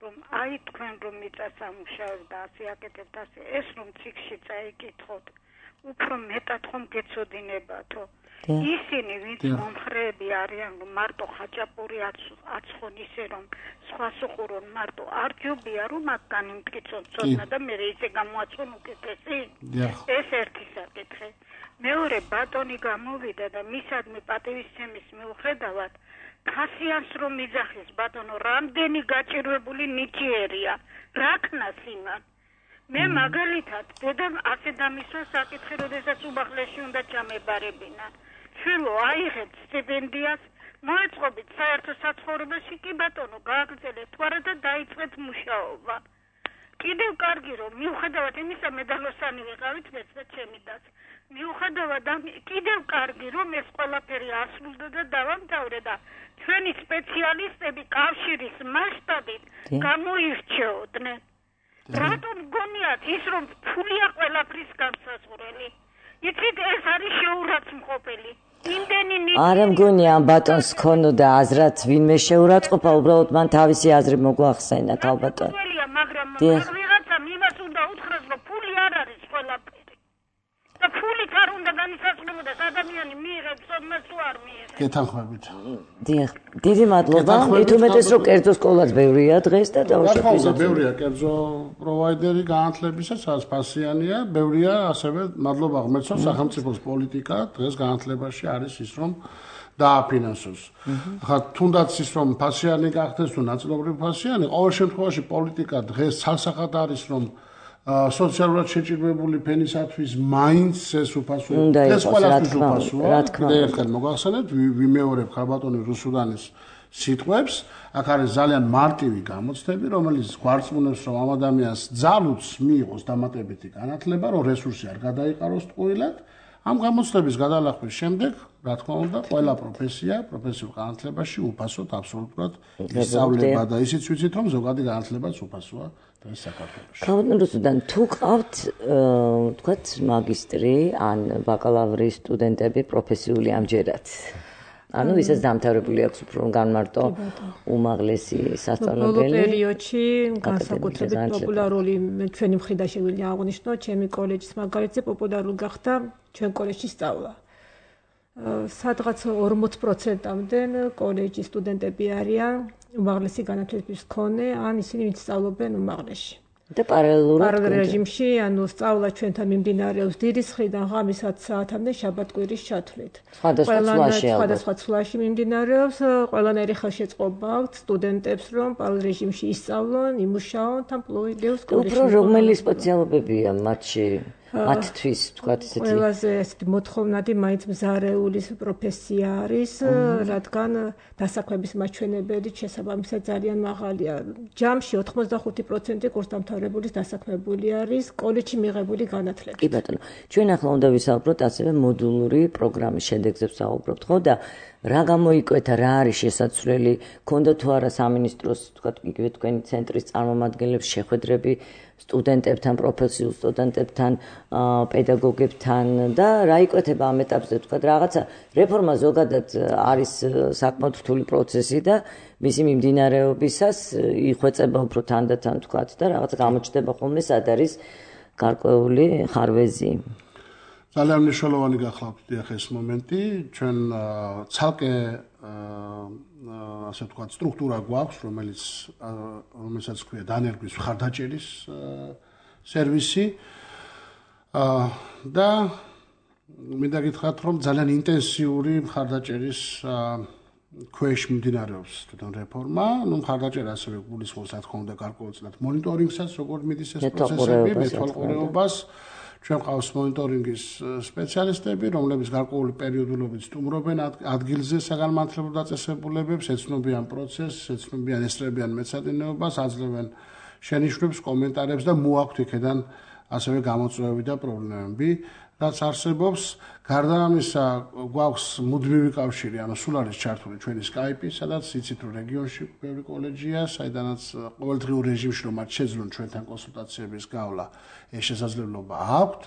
რომ აი თქვენ რომ მიწასამუშავებ და ასე აკეთებთ ასე, ეს რომ ციკში წაიკითხოთ, უფრო მეტად ხომ გეცოდინებათო. ისინი ვინც მომხრეები არიან, რომ მარტო ხაჭაპური აცხონ ისე რომ სხვა სუყურონ მარტო არ ჯობია რომ მაგან იმტკიცონ ცოდნა და მე ისე გამოაცხონ უკეთესი. ეს ერთი საკითხი. მეორე ბატონი გამოვიდა და მისადმი პატივისცემის მიუხედავად ფასიანს რომ იძახის ბატონო რამდენი გაჭირვებული ნიჭიერია რა ქნას იმან. მე მაგალითად დედამ ასე დამისვა საკითხი, როდესაც უმაღლესში უნდა ჩამებარებინა. შვილო აიღეთ სტიპენდიას, მოეწყობით საერთო საცხოვრებელში, კი ბატონო გააგრძელეთ თუ არა და დაიწყეთ მუშაობა. კიდევ კარგი რომ მიუხედავად იმისა მედალოსანი ვიყავით მეც და ჩემი დაც. მიუხედავად კიდევ კარგი რომ ეს ყველაფერი ასრულდა და დავამთავრე და ჩვენი სპეციალისტები კავშირის მასშტაბით გამოირჩეოდნენ. რატომ გონიათ ის რომ ფულია ყველაფრის განსაზღვრელი? იცით ეს არის შეურაცხმყოფელი. არა მგონია ამ ბატონს ქონოდა აზრად ვინმე შეურაცხყოფა, უბრალოდ მან თავისი აზრი მოგვახსენა ქალბატონო. მაგრამ ვიღაცამ იმას უნდა უთხრას, რომ ფული არ არის ყველაფერი. და ფულით არ უნდა განისაზღვრებოდეს ადამიანი მიიღებს ოდნავ თუ არ მიიღებს. გეთანხმებით. დიახ, დიდი მადლობა. მithumetes რომ კერძო სკოლაც ბევრია დღეს და დავუშვებთ. ბევრია კერძო პროვაიდერი განათლებისა, სადაც ფასიანია, ბევრია ასევე მადლობა ღმერთს, სახელმწიფოს პოლიტიკა დღეს განათლებაში არის ის რომ დააფინანსოს. ხა თუნდაც ის რომ ფასიანი გახდეს თუ ნაწილობრივ ფასიანი, ყოველ შემთხვევაში პოლიტიკა დღეს ცალსახად არის რომ სოციალურად შეჭირვებული ფენისათვის მაინც ეს უფასო ეს ყველასთვის უფასოა. კიდევ ერთხელ მოგახსენებთ, ვიმეორებ ქალბატონი რუსუდანის სიტყვებს, აქ არის ძალიან მარტივი გამოცდები, რომელიც გვარწმუნებს, რომ ამ ადამიანს ძალუც მიიღოს დამატებითი განათლება, რომ რესურსი არ გადაიყაროს ტყუილად. ამ გამოცდების გადალახვის შემდეგ, რა თქმა უნდა, ყველა პროფესია, პროფესიულ განათლებაში უფასოდ აბსოლუტურად ისწავლება და ისიც ვიცით, რომ ზოგადი განათლებაც უფასოა დღეს საქართველოში. ქალბატონ რუსუდან, თუ ყავთ, თქვათ, მაგისტრი ან ბაკალავრის სტუდენტები პროფესიული ამჯერად, ანუ ვისაც დამთავრებული აქვს უფრო განმარტო უმაღლესი სასწავლებელი. ბოლო პერიოდში განსაკუთრებით პოპულარული ჩვენი მხრიდან შეგვიძლია აღვნიშნოთ, ჩემი კოლეჯის მაგალითზე პოპულარული გახდა ჩვენ კოლეჯში სწავლა. სადღაც 40%-მდე კოლეჯის სტუდენტები არიან უმაღლესი განათლების მქონე, ან ისინი ვინც სწავლობენ უმაღლესში. და პარალელურად რეჟიმში, ანუ სწავლა ჩვენთან მიმდინარეობს დილის 9-დან ღამის 10 საათამდე შაბათ-კვირის ჩათვლით. სხვადასხვა ცვლაში მიმდინარეობს, ყველანაირი ხელშეწყობა აქვს სტუდენტებს, რომ პარალელ რეჟიმში ისწავლონ, იმუშაონ თან პლუიდეუს კოლეჯში. უფრო რომელი სპეციალობებია მათში? მათთვის თქვათ ესეთი ყველაზე ესეთი მოთხოვნადი მაინც მზარეულის პროფესია არის, რადგან დასაქმების მაჩვენებელიც შესაბამისად ძალიან მაღალია. ჯამში 85% კურსდამთავრებულის დასაქმებული არის კოლეჯში მიღებული განათლებით. კი ბატონო, ჩვენ ახლა უნდა ვისაუბროთ ასევე მოდულური პროგრამის შედეგზე ვსაუბრობთ, ხო და რა გამოიკვეთა, რა არის შესაძლებელი, ქონდა თუ არა სამინისტროს, თქვათ, იგივე თქვენი ცენტრის წარმომადგენლებს შეხვედრები სტუდენტებთან, პროფესიულ სტუდენტებთან, პედაგოგებთან და რა იკვეთება ამ ეტაპზე, თქვათ, რაღაცა რეფორმა ზოგადად არის საკმაოდ რთული პროცესი და მისი მიმდინარეობისას იხვეწება უფრო თანდათან, თქვათ, და რაღაცა გამოჩნდება ხოლმე სად არის გარკვეული ხარვეზი. ძალიან მნიშვნელოვანი გახლავთ დიახ ეს მომენტი, ჩვენ ცალკე ასე ვთქვათ სტრუქტურა გვაქვს, რომელსაც ქვია დანერგვის მხარდაჭერის სერვისი და მინდა გითხრათ, რომ ძალიან ინტენსიური მხარდაჭერის ქვეშ მიმდინარეობს თვითონ რეფორმა, მხარდაჭერა ასევე გულისხმობს, რა თქმა უნდა, გარკვეულწილად მონიტორინგსაც, როგორ მიდის ეს პროცესები, მეთვალყურეობას. ჩვენ ყავს მონიტორინგის სპეციალისტები, რომლებიც გარკვეული პერიოდულობით სტუმრობენ ადგილზე საგანმანათლებლო დაწესებულებებს, ეცნობიან პროცესს, ეცნობიან ესწრებიან მეცადინეობას, აძლევენ შენიშვნებს, კომენტარებს და მოაქვთ იქედან ასევე გამოწვევები და პრობლემები, რაც არსებობს. გარდა ამისა, გვაქვს მუდმივი კავშირი, ანუ სულ არის ჩართული ჩვენი Skype-ი, სადაც იცით, რომ რეგიონში ბევრი კოლეჯია, საიდანაც ყოველდღიურ რეჟიმში რომ მათ შეძლონ ჩვენთან კონსულტაციების გავლა, ეს შესაძლებლობა აქვთ.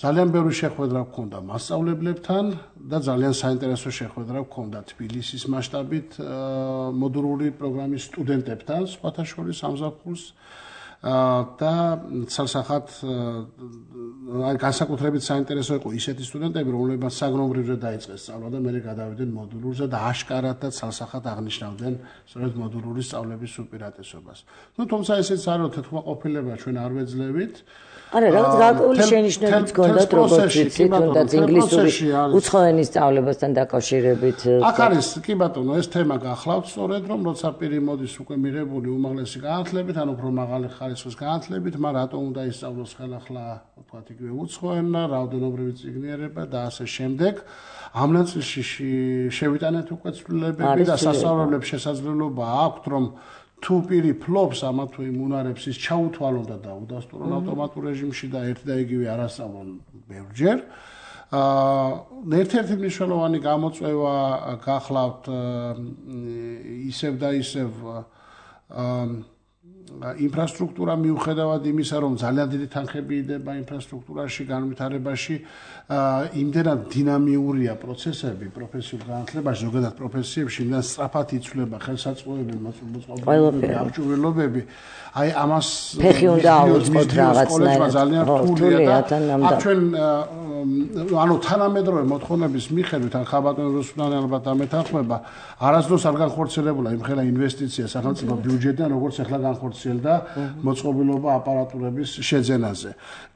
ძალიან ბევრი შეხვედრა გქონდა მასწავლებლებთან და ძალიან საინტერესო შეხვედრა გქონდა თბილისის მასშტაბით მოდულური პროგრამის სტუდენტებთან, სხვათა შორის სამზაფხულს და ცალსახად განსაკუთრებით საინტერესო იყო ისეთი სტუდენტები, რომლებმაც საგნობრივზე დაიწყეს სწავლა და მერე გადავიდნენ მოდულურზე და აშკარად და ცალსახად აღნიშნავდნენ სწორედ მოდულური სწავლების უპირატესობას. თუმცა ესეც არის, რომ თვითმყოფილება ჩვენ არ ვეძლევით. არა, რაღაც გარკვეული შენიშვნებიც გქონდათ, როგორც ვიცით, თუნდაც ინგლისური უცხოენის სწავლებასთან დაკავშირებით. აქ არის, კი ბატონო, ეს თემა გახლავთ სწორედ, რომ როცა პირი მოდის უკვე მიღებული უმაღლესი განათლებით, ან უფრო მაღალი ხარისხის განათლებით, მაგრამ რატომ უნდა ისწავლოს ხელახლა, ვთქვათ, იგივე უცხოენა, რაოდენობრივი წიგნიერება და ასე შემდეგ. ამ ნაწილში შევიტანეთ უკვე ცვლილებები და სასწავლებლებს შესაძლებლობა აქვთ, რომ თუ პირი ფლობს ამა თუ იმ უნარებს, ის ჩაუთვალონ და დაუდასტურონ ავტომატურ რეჟიმში და ერთ და იგივე არასწავლონ ბევრჯერ. ერთ-ერთი მნიშვნელოვანი გამოწვევა გახლავთ ისევ და ისევ ინფრასტრუქტურა მიუხედავად იმისა, რომ ძალიან დიდი თანხები იდება ინფრასტრუქტურაში, განვითარებაში, იმდენად დინამიურია პროცესები პროფესიულ განათლებაში, ზოგადად პროფესიებში, იმდენად სწრაფად იცვლება ხელსაწყოები, მოწყობილობები, აღჭურვილობები. აი ამას ფეხი უნდა აუწყოთ რაღაცნაირად. ძალიან რთულია და ჩვენ ანუ თანამედროვე მოთხოვნების მიხედვით, ან ხაბატონი რუსუდანი ალბათ ამეთანხმება, არასდროს არ განხორციელებულა იმხელა ინვესტიცია სახელმწიფო ბიუჯეტიდან, როგორც ახლა განხორციელდა მოწყობილობა აპარატურების შეძენაზე.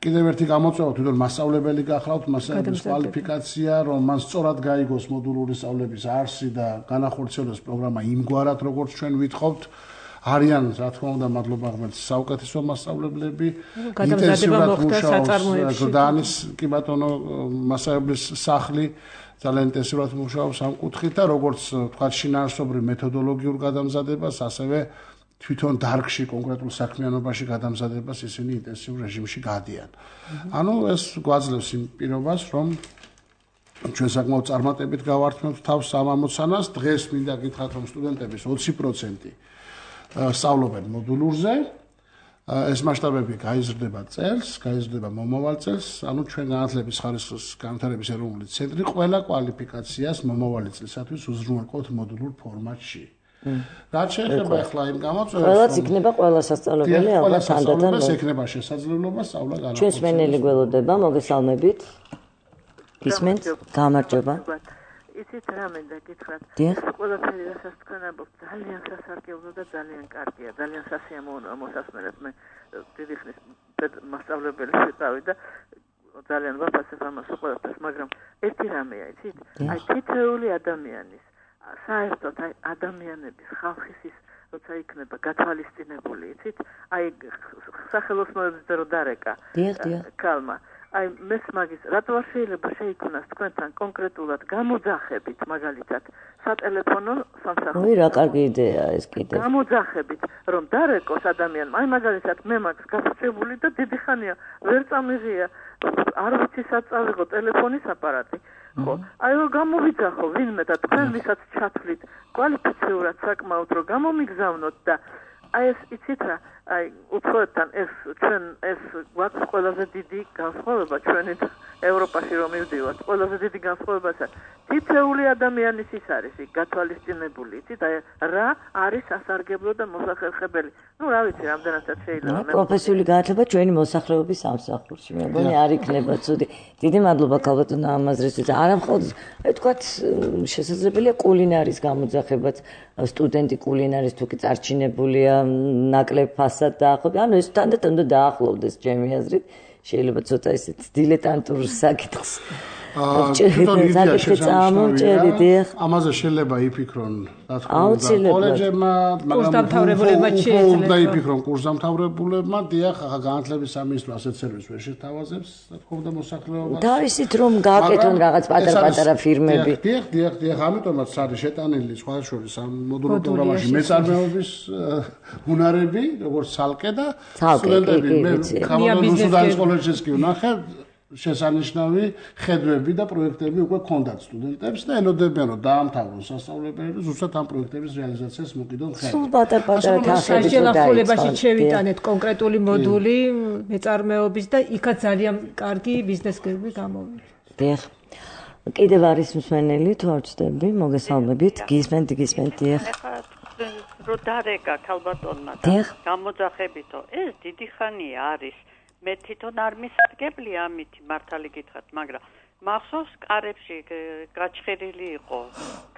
კიდევ ერთი გამოწვევა თვითონ მასწავლებელი გახლავთ, მასწავლებლის კვალიფიკაცია, რომ მან სწორად გაიგოს მოდულური სწავლების არსი და განახორციელოს პროგრამა იმგვარად, როგორც ჩვენ ვითხოვთ. არიან, რა თქმა უნდა, მადლობა ღმერთს, საუკეთესო მასწავლებლები, ინტენსიურად მუშაობს გდანის, კი ბატონო, მასწავლებლის სახლი ძალიან ინტენსიურად მუშაობს ამ კუთხით და როგორც თქვა შინაარსობრივ მეთოდოლოგიურ გადამზადებას, ასევე თვითონ დარგში კონკრეტულ საქმიანობაში გადამზადებას ისინი ინტენსიურ რეჟიმში გადიან. ანუ ეს გვაძლევს იმ პირობას, რომ ჩვენ საკმაოდ წარმატებით გავართმევთ თავს ამ ამოცანას. დღეს მინდა გითხრათ, რომ სტუდენტების 20% სწავლობენ მოდულურზე. ეს მასშტაბები გაიზრდება წელს, გაიზრდება მომავალ წელს, ანუ ჩვენ განათლების ხარისხის განვითარების ეროვნული ცენტრი ყველა კვალიფიკაციას მომავალი წლისათვის უზრუნველყოფთ მოდულურ ფორმატში. რაც შეეხება ახლა იმ გამოწვევებს, ყველაც იქნება ყველა სასწავლებელი ალბათ თანდათან ეს ექნება შესაძლებლობა სწავლა განახორციელოს. ჩვენს მენელი გველოდება, მოგესალმებით. გისმენთ? გამარჯობა. იცით რა მინდა გითხრათ, ყველაფერი რასაც თქვენ ამბობთ ძალიან სასარგებლო და ძალიან კარგია, ძალიან სასიამოვნოა მოსასმენად. მე დიდი ხნის მასწავლებელი ვიყავი და ძალიან ვაფასებ ამას ყველაფერს, მაგრამ ერთი რამეა, იცით, აი თითოეული ადამიანის საერთოდ აი ადამიანების ხალხის ის როცა იქნება გათვალისწინებული, იცით, აი სახელოსნოებზე რო დარეკა ქალმა აი მესმაგის რატო არ შეიძლება შეიქმნას თქვენთან კონკრეტულად გამოძახებით მაგალითად სატელეფონო სამსახური. რა კარგი იდეაა ეს კიდე. გამოძახებით რომ დარეკოს ადამიანმა. აი მაგალითად მე მაქვს გასწრებული და დიდი ხანია ვერ წამიღია არ ვიცი საწავიღო ტელეფონის აპარატი. ხო, აი რომ გამოვიძახო ვინმე და თქვენ ვისაც ჩათვლით კვალიფიციურად საკმაოდ რომ გამომიგზავნოთ და აი ეს იცით რა აი უცხოეთთან ეს ჩვენ ეს გვაქვს ყველაზე დიდი განსხვავება ჩვენი ევროპაში რომ მივდივართ ყველაზე დიდი განსხვავებაა თითოეული ადამიანის ის არის გათვალისწინებული იცით აი რა არის სასარგებლო და მოსახერხებელი ну რა ვიცი რამდენადაც შეიძლება მე პროფესიული განათლება ჩვენი მოსახლეობის სამსახურში მე მგონი არ იქნება ცუდი დიდი მადლობა ქალბატონო ამაზრისთვის არა მხოლოდ ვთქვათ შესაძლებელია კულინარის გამოძახებაც სტუდენტი კულინარის თუ კი წარჩინებულია ნაკლებ ფასად დაახლოებით ანუ ეს თანდათან უნდა დაახლოვდეს ჩემი აზრით შეიძლება ცოტა ისეთ დილეტანტურ საკითხს ამაზე შეიძლება იფიქრონ რა თქმა უნდა კოლეჯებმა მაგრამ უნდა იფიქრონ კურსდამთავრებულებმა დიახ ახლა განათლების სამინისტრო ასეთ სერვისს ვერ შეთავაზებს რა თქმა უნდა მოსახლეობას თავისით რომ გააკეთონ რაღაც პატარ-პატარა ფირმები დიახ ამიტომაც არის შეტანილი სხვა შორის ამ მოდულურ პროგრამაში მეწარმეობის უნარები როგორც ცალკე და სტუდენტები მე ხამალონის სუდანის კოლეჯის კი ვნახე შესანიშნავი ხედვები და პროექტები უკვე ქონდათ სტუდენტებს და ელოდებიან რომ დაამთავრონ სასწავლებელი და ზუსტად ამ პროექტების რეალიზაციას მოკიდონ ხელს. სულ პატარ-პატარა თანხები შეჯახულებაში შევიტანეთ კონკრეტული მოდული მეწარმეობის და იქაც ძალიან კარგი ბიზნეს გერბი გამოვიდა. დიახ. კიდევ არის მსმენელი თუ არ ვწდები, მოგესალმებით, გისმენთ დიახ. რო დარეკა ქალბატონმა გამოძახებითო ეს დიდი ხანია არის მე თვითონ არ მისადგებლი ამით მართალი გითხრათ, მაგრამ მახსოვს კარებში გაჩხერილი იყო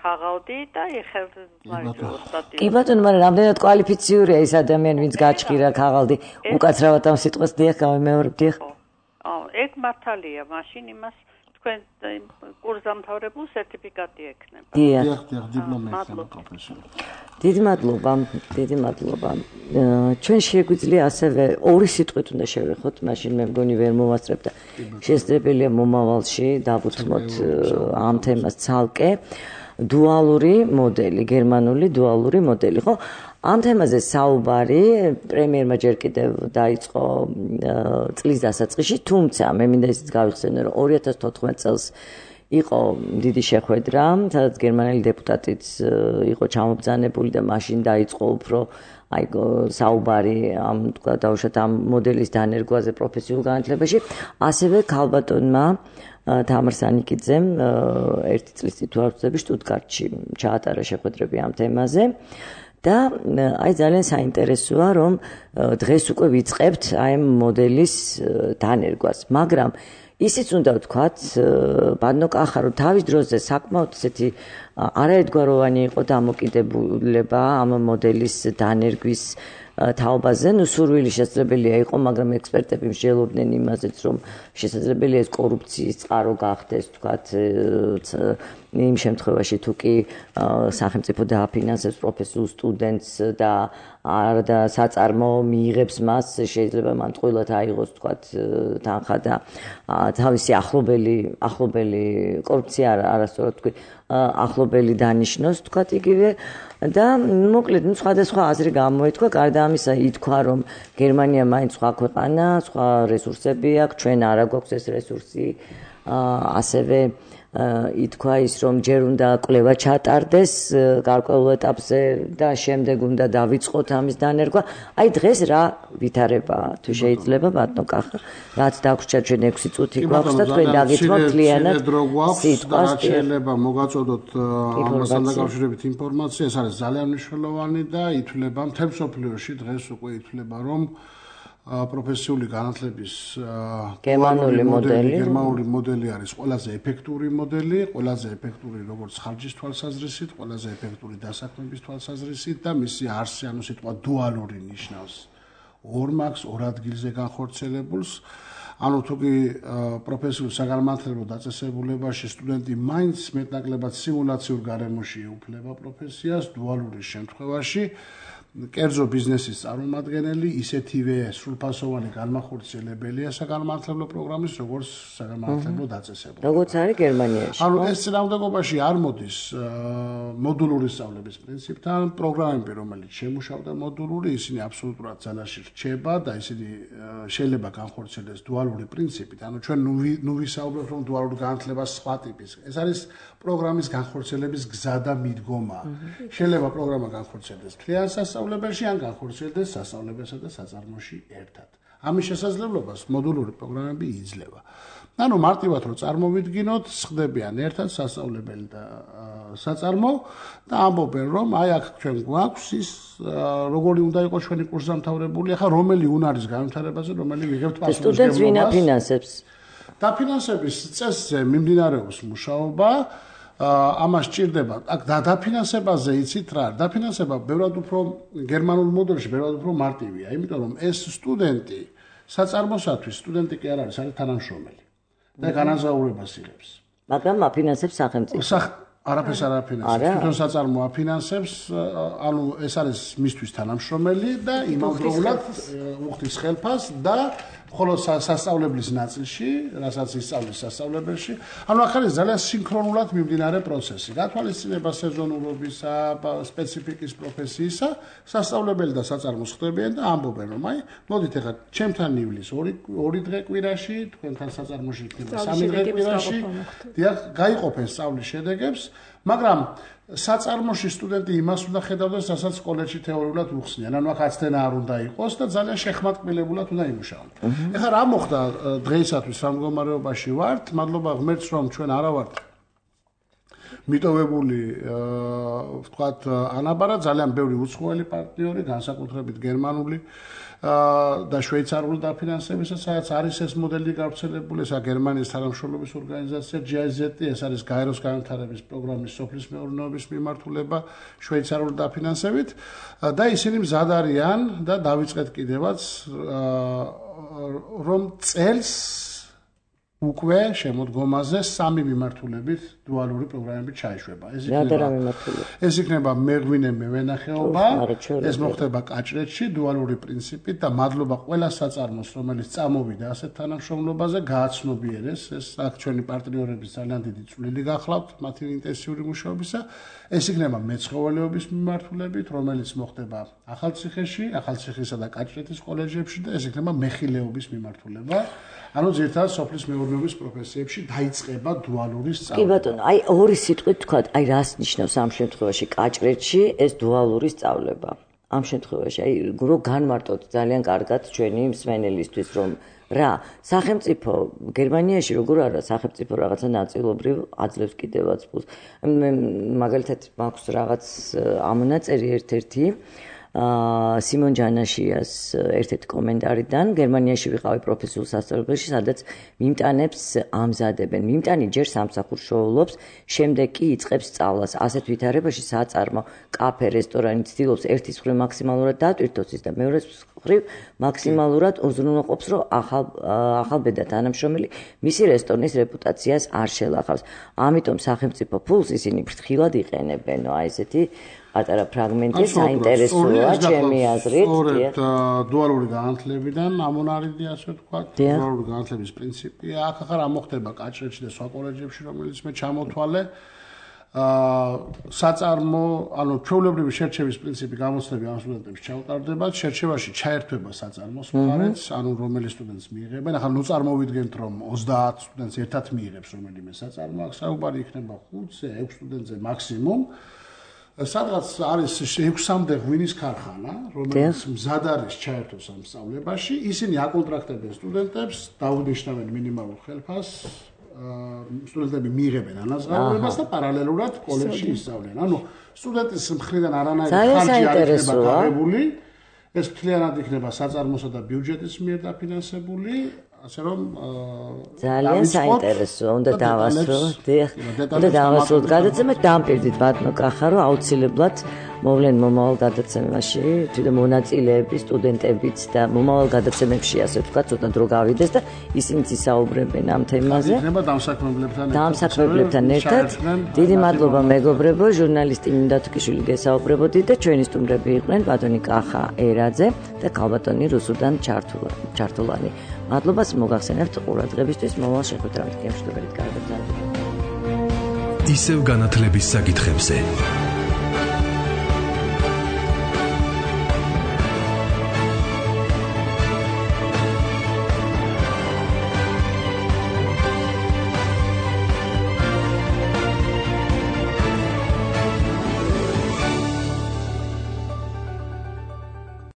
ქაღალდი და ეხება ოსტატი. კი ბატონო, მაგრამ რამდენად კვალიფიციურია ეს ადამიანი, ვინც გაჩხირა ქაღალდი, უკაცრავად ამ სიტყვას დიახ გამიმეორებ დიახ. ეგ მართალია, მაშინ იმას თქვენ კურსდამთავრებულ სერტიფიკატი ექნება. დიახ, დიპლომი ექნება პროფესორი. დიდი მადლობა. ჩვენ შეგვიძლია ასევე ორი სიტყვით უნდა შევეხოთ, მაშინ მე მგონი ვერ მოვასწრებ და შესაძლებელია მომავალში დავუთმოთ ამ თემას ცალკე. დუალური მოდელი, გერმანული დუალური მოდელი, ხო? ამ თემაზე საუბარი პრემიერმა ჯერ კიდევ დაიწყო წლის დასაწყისში, თუმცა მე მინდა ისიც გავიხსენო, რომ 2014 წელს იყო დიდი შეხვედრა, სადაც გერმანელი დეპუტატიც იყო ჩამობრძანებული და მაშინ დაიწყო უფრო აი საუბარი ამ თქვა დავუშვათ ამ მოდელის დანერგვაზე პროფესიულ განათლებაში, ასევე ქალბატონმა თამარ სანიკიძემ ერთი წლის წინ თუ არ ვწდები შტუტგარტში ჩაატარა შეხვედრები ამ თემაზე. და აი ძალიან საინტერესოა რომ დღეს უკვე ვიწყებთ აი ამ მოდელის დანერგვას, მაგრამ ისიც უნდა ვთქვათ, ბანო კახა რომ თავის დროზე საკმაოდ ესეთი არაერთგვაროვანი იყო დამოკიდებულება ამ მოდელის დანერგვის თაობაზე, ну სურვილი შესაძლებელია იყო, მაგრამ ექსპერტები მსჯელობდნენ იმაზეც, რომ შესაძლებელია ეს კორუფციის წყარო გახდეს, ვთქვათ, იმ შემთხვევაში თუ კი სახელმწიფო დააფინანსებს პროფესიულ სტუდენტს და არ და საწარმო მიიღებს მას, შეიძლება მან ტყუილად აიღოს, ვთქვათ, თანხა და თავისი ახლობელი კორუფცია არასწორად თქვი, ახლობელი დანიშნოს, ვთქვათ, იგივე და მოკლედ სხვადასხვა აზრი გამოეთქვა, გარდა ამისა ითქვა, რომ გერმანია მაინც სხვა ქვეყანა, სხვა რესურსები აქვს, ჩვენ არ გვაქვს ეს რესურსი, ასევე ითქვა ის, რომ ჯერ უნდა კვლევა ჩატარდეს გარკვეულ ეტაპზე და შემდეგ უნდა დავიწყოთ ამის დანერგვა. აი დღეს რა ვითარებაა, თუ შეიძლება ბატონო კახა, რაც დაგვრჩა ჩვენ 6 წუთი გვაქვს და თქვენ დაგითმობთ მთლიანად სიტყვას. შეიძლება მოგაწოდოთ ამასთან დაკავშირებით ინფორმაცია, ეს არის ძალიან მნიშვნელოვანი და ითვლება მთელ მსოფლიოში დღეს უკვე ითვლება, რომ პროფესიული განათლების გერმანული მოდელი არის ყველაზე ეფექტური მოდელი, ყველაზე ეფექტური როგორც ხარჯის თვალსაზრისით, ყველაზე ეფექტური დასაქმების თვალსაზრისით და მისი არსი, ანუ სიტყვა დუალური ნიშნავს ორ მაგს, ორ ადგილზე განხორციელებულს. ანუ თუ კი პროფესიულ საგანმანათლებლო დაწესებულებაში სტუდენტი მაინც მეტნაკლებად სიმულაციურ გარემოში ეუფლება პროფესიას, დუალურის შემთხვევაში კერძო ბიზნესის წარმომადგენელი, ისეთივე სრულფასოვანი განმახორციელებელია საგანმანათლებლო პროგრამის, როგორც საგანმანათლებლო დაწესებულება. როგორც არის გერმანიაში. ანუ ეს წინააღმდეგობაში არ მოდის მოდულური სწავლების პრინციპთან, პროგრამები, რომელიც შემუშავდა მოდულური, ისინი აბსოლუტურად ძალაში რჩება და ისინი შეიძლება განხორციელდეს დუალური პრინციპით. ანუ ჩვენ ნუ ვისაუბრებთ რომ დუალური განათლება სხვა ტიპის. ეს არის პროგრამის განხორციელების გზა და მიდგომა. შეიძლება პროგრამა განხორციელდეს მთლიან სასწავლებელში ან განხორციელდეს სასწავლებელსა და საწარმოში ერთად. ამის შესაძლებლობას მოდულური პროგრამები იძლევა. ანუ მარტივად რომ წარმოვიდგინოთ, ხდებიან ერთად სასწავლებელი და საწარმო და ამბობენ რომ აი აქ ჩვენ გვაქვს ის როგორი უნდა იყოს ჩვენი კურსდამთავრებული, ახლა რომელი უნარის განვითარებაზე, რომელი ვიღებთ პასუხისმგებლობას. სტუდენტს ვინ აფინანსებს? დაფინანსების წესზე მიმდინარეობს მუშაობა. ამას სჭირდება აქ დაფინანსებაზე იცით რა არის დაფინანსება ბევრად უფრო გერმანულ მოდელში ბევრად უფრო მარტივია იმიტომ რომ ეს სტუდენტი საწარმოსათვის სტუდენტი კი არ არის თანამშრომელი და განაზღაურებას იღებს მაგრამ აფინანსებს სახელმწიფო არაფერს არ აფინანსებს თვითონ საწარმო აფინანსებს ანუ ეს არის მისთვის თანამშრომელი და იმავდროულად უხდის ხელფას და ხოლო სასწავლებლის ნაწილში, რასაც ისწავლის სასწავლებელში, ანუ ახლა არის ძალიან სინქრონულად მიმდინარე პროცესი. გათვალისწინება სეზონურობისა, სპეციფიკის პროფესიისა, სასწავლებელი და საწარმოს ხდებიან და ამბობენ რომ აი, მოდით ახლა ჩემთან ივლის 2 დღე კვირაში, თქვენთან საწარმოში იქნება 3 დღე კვირაში. დიახ, გაიყოფენ სწავლის შედეგებს, მაგრამ საწარმოში სტუდენტი იმას უნდა ხედავდეს, რასაც კოლეჯში თეორიულად უხსნიან. ანუ აქ აცდენა არ უნდა იყოს და ძალიან შეხმატკბილებულად უნდა იმუშაონ. ეხლა რა მოხდა დღეისათვის რა მდგომარეობაში ვართ? მადლობა ღმერთს რომ ჩვენ არა ვართ მიტოვებული ვთქვათ ანაბარა ძალიან ბევრი უცხოელი პარტნიორი, განსაკუთრებით გერმანული და შვეიცარიული დაფინანსებისა, სადაც არის ეს მოდელი გავრცელებული, ესა გერმანიის თანამშრომლობის ორგანიზაცია GIZ, ეს არის გაეროს განვითარების პროგრამის სოფლის მეურნეობის მიმართულება შვეიცარიული დაფინანსებით და ისინი მზად არიან და დავიწყეთ კიდევაც რომ წელს უკვე შემოდგომაზე 3 მიმართულებით დუალური პროგრამები ჩაიშვება. ეს იქნება მეღვინე მევენახეობა, ეს მოხდება კაჭრეთში დუალური პრინციპით და მადლობა ყველა საწარმოს, რომელიც წამოვიდა ასეთ თანამშრომლობაზე, გააცნობიერეს ეს აქ ჩვენი პარტნიორების ძალიან დიდი წვლილი გახლავთ მათი ინტენსიური მუშაობისა. ეს იქნება მეცხოველეობის მიმართულებით, რომელიც მოხდება ახალციხეში, ახალციხისა და კაჭრეთის კოლეჯებში და ეს იქნება მეხილეობის მიმართულება. ანუ ძირითადად სოფლის მეურნეობის პროფესიებში დაიწყება დუალური სწავლა. კი ბატონო, აი ორი სიტყვით თქვა, აი რას ნიშნავს ამ შემთხვევაში კაჭრეთში ეს დუალური სწავლება? ამ შემთხვევაში აი რო განმარტოთ ძალიან კარგად ჩვენი მსმენელისთვის რომ რა, სახელმწიფო გერმანიაში როგორ არა სახელმწიფო რაღაცა ნაწილობრივ აძლევს კიდევაც ფულს. მე მაგალითად მაქვს რაღაც ამონაწერი ერთ-ერთი სიმონ ჯანაშიას ერთ-ერთი კომენტარიდან გერმანიაში ვიყავი პროფესიულ სასწავლებელში, სადაც მიმტანებს ამზადებენ. მიმტანი ჯერ სამსახურს შოულობს, შემდეგ კი იწყებს სწავლას. ასეთ ვითარებაში საწარმო, კაფე, რესტორანი ცდილობს ერთის მხრივ მაქსიმალურად დატვირთოს ის და მეორეს მხრივ მაქსიმალურად უზრუნველყოფს, რომ ახალბედა თანამშრომელი მისი რესტორნის რეპუტაციას არ შელახავს. ამიტომ სახელმწიფო ფულს ისინი ფრთხილად იყენებენო, აი ესეთი პატარა ფრაგმენტი საინტერესოა ჩემი აზრით. სწორედ დუალური განათლებიდან ამონარიდი ასე ვთქვათ, დუალური განათლების პრინციპია. აქ ახლა რა მოხდება კაჭრეთში და სხვა კოლეჯებში, რომელიც მე ჩამოთვალე. საწარმო, ანუ ჩვეულებრივი შერჩევის პრინციპი გამოცდები ამ სტუდენტებს ჩაუტარდება, შერჩევაში ჩაერთვება საწარმოს მხარეც, ანუ რომელი სტუდენტს მიიღებენ. ახლა ნუ წარმოვიდგენთ, რომ 30 სტუდენტს ერთად მიიღებს რომელიმე საწარმო, აქ საუბარი იქნება 5-ზე, 6 სტუდენტზე მაქსიმუმ. სადღაც არის 6-მდე ღვინის ქარხანა, რომელიც მზად არის ჩაერთოს ამ სწავლებაში, ისინი აკონტრაქტებენ სტუდენტებს, დაუნიშნავენ მინიმალურ ხელფას, სტუდენტები მიიღებენ ანაზღაურებას და პარალელურად კოლეჯში ისწავლენ. ანუ სტუდენტის მხრიდან არანაირი ხარჯი არ იქნება გაღებული, ეს მთლიანად იქნება საწარმოსა და ბიუჯეტის მიერ დაფინანსებული. ასე რომ ძალიან საინტერესო უნდა დავასრულოთ. უნდა დავასრულოთ გადაცემა დამპირდით ბატონო კახარო აუცილებლად მოვლენ მომავალ გადაცემაში თვითონ მონაწილეები სტუდენტებიც და მომავალ გადაცემებში ასე ვთქვათ ცოტა დრო გავიდეს და ისინიც ისაუბრებენ ამ თემაზე. დამსაქმებლებთან ერთად დიდი მადლობა მეგობრებო, ჟურნალისტი მინდა თქიშვილი გესაუბრებოდით და ჩვენი სტუმრები იყვნენ ბატონი კახა ერაძე და ქალბატონი რუსუდან ჩართულანი. მადლობას მოგახსენებთ ყურადღებისთვის, მომავალ შეხვედრამდე გემშვიდობებით, კარგად გაგრძელოთ. ისევ განათლების საკითხებზე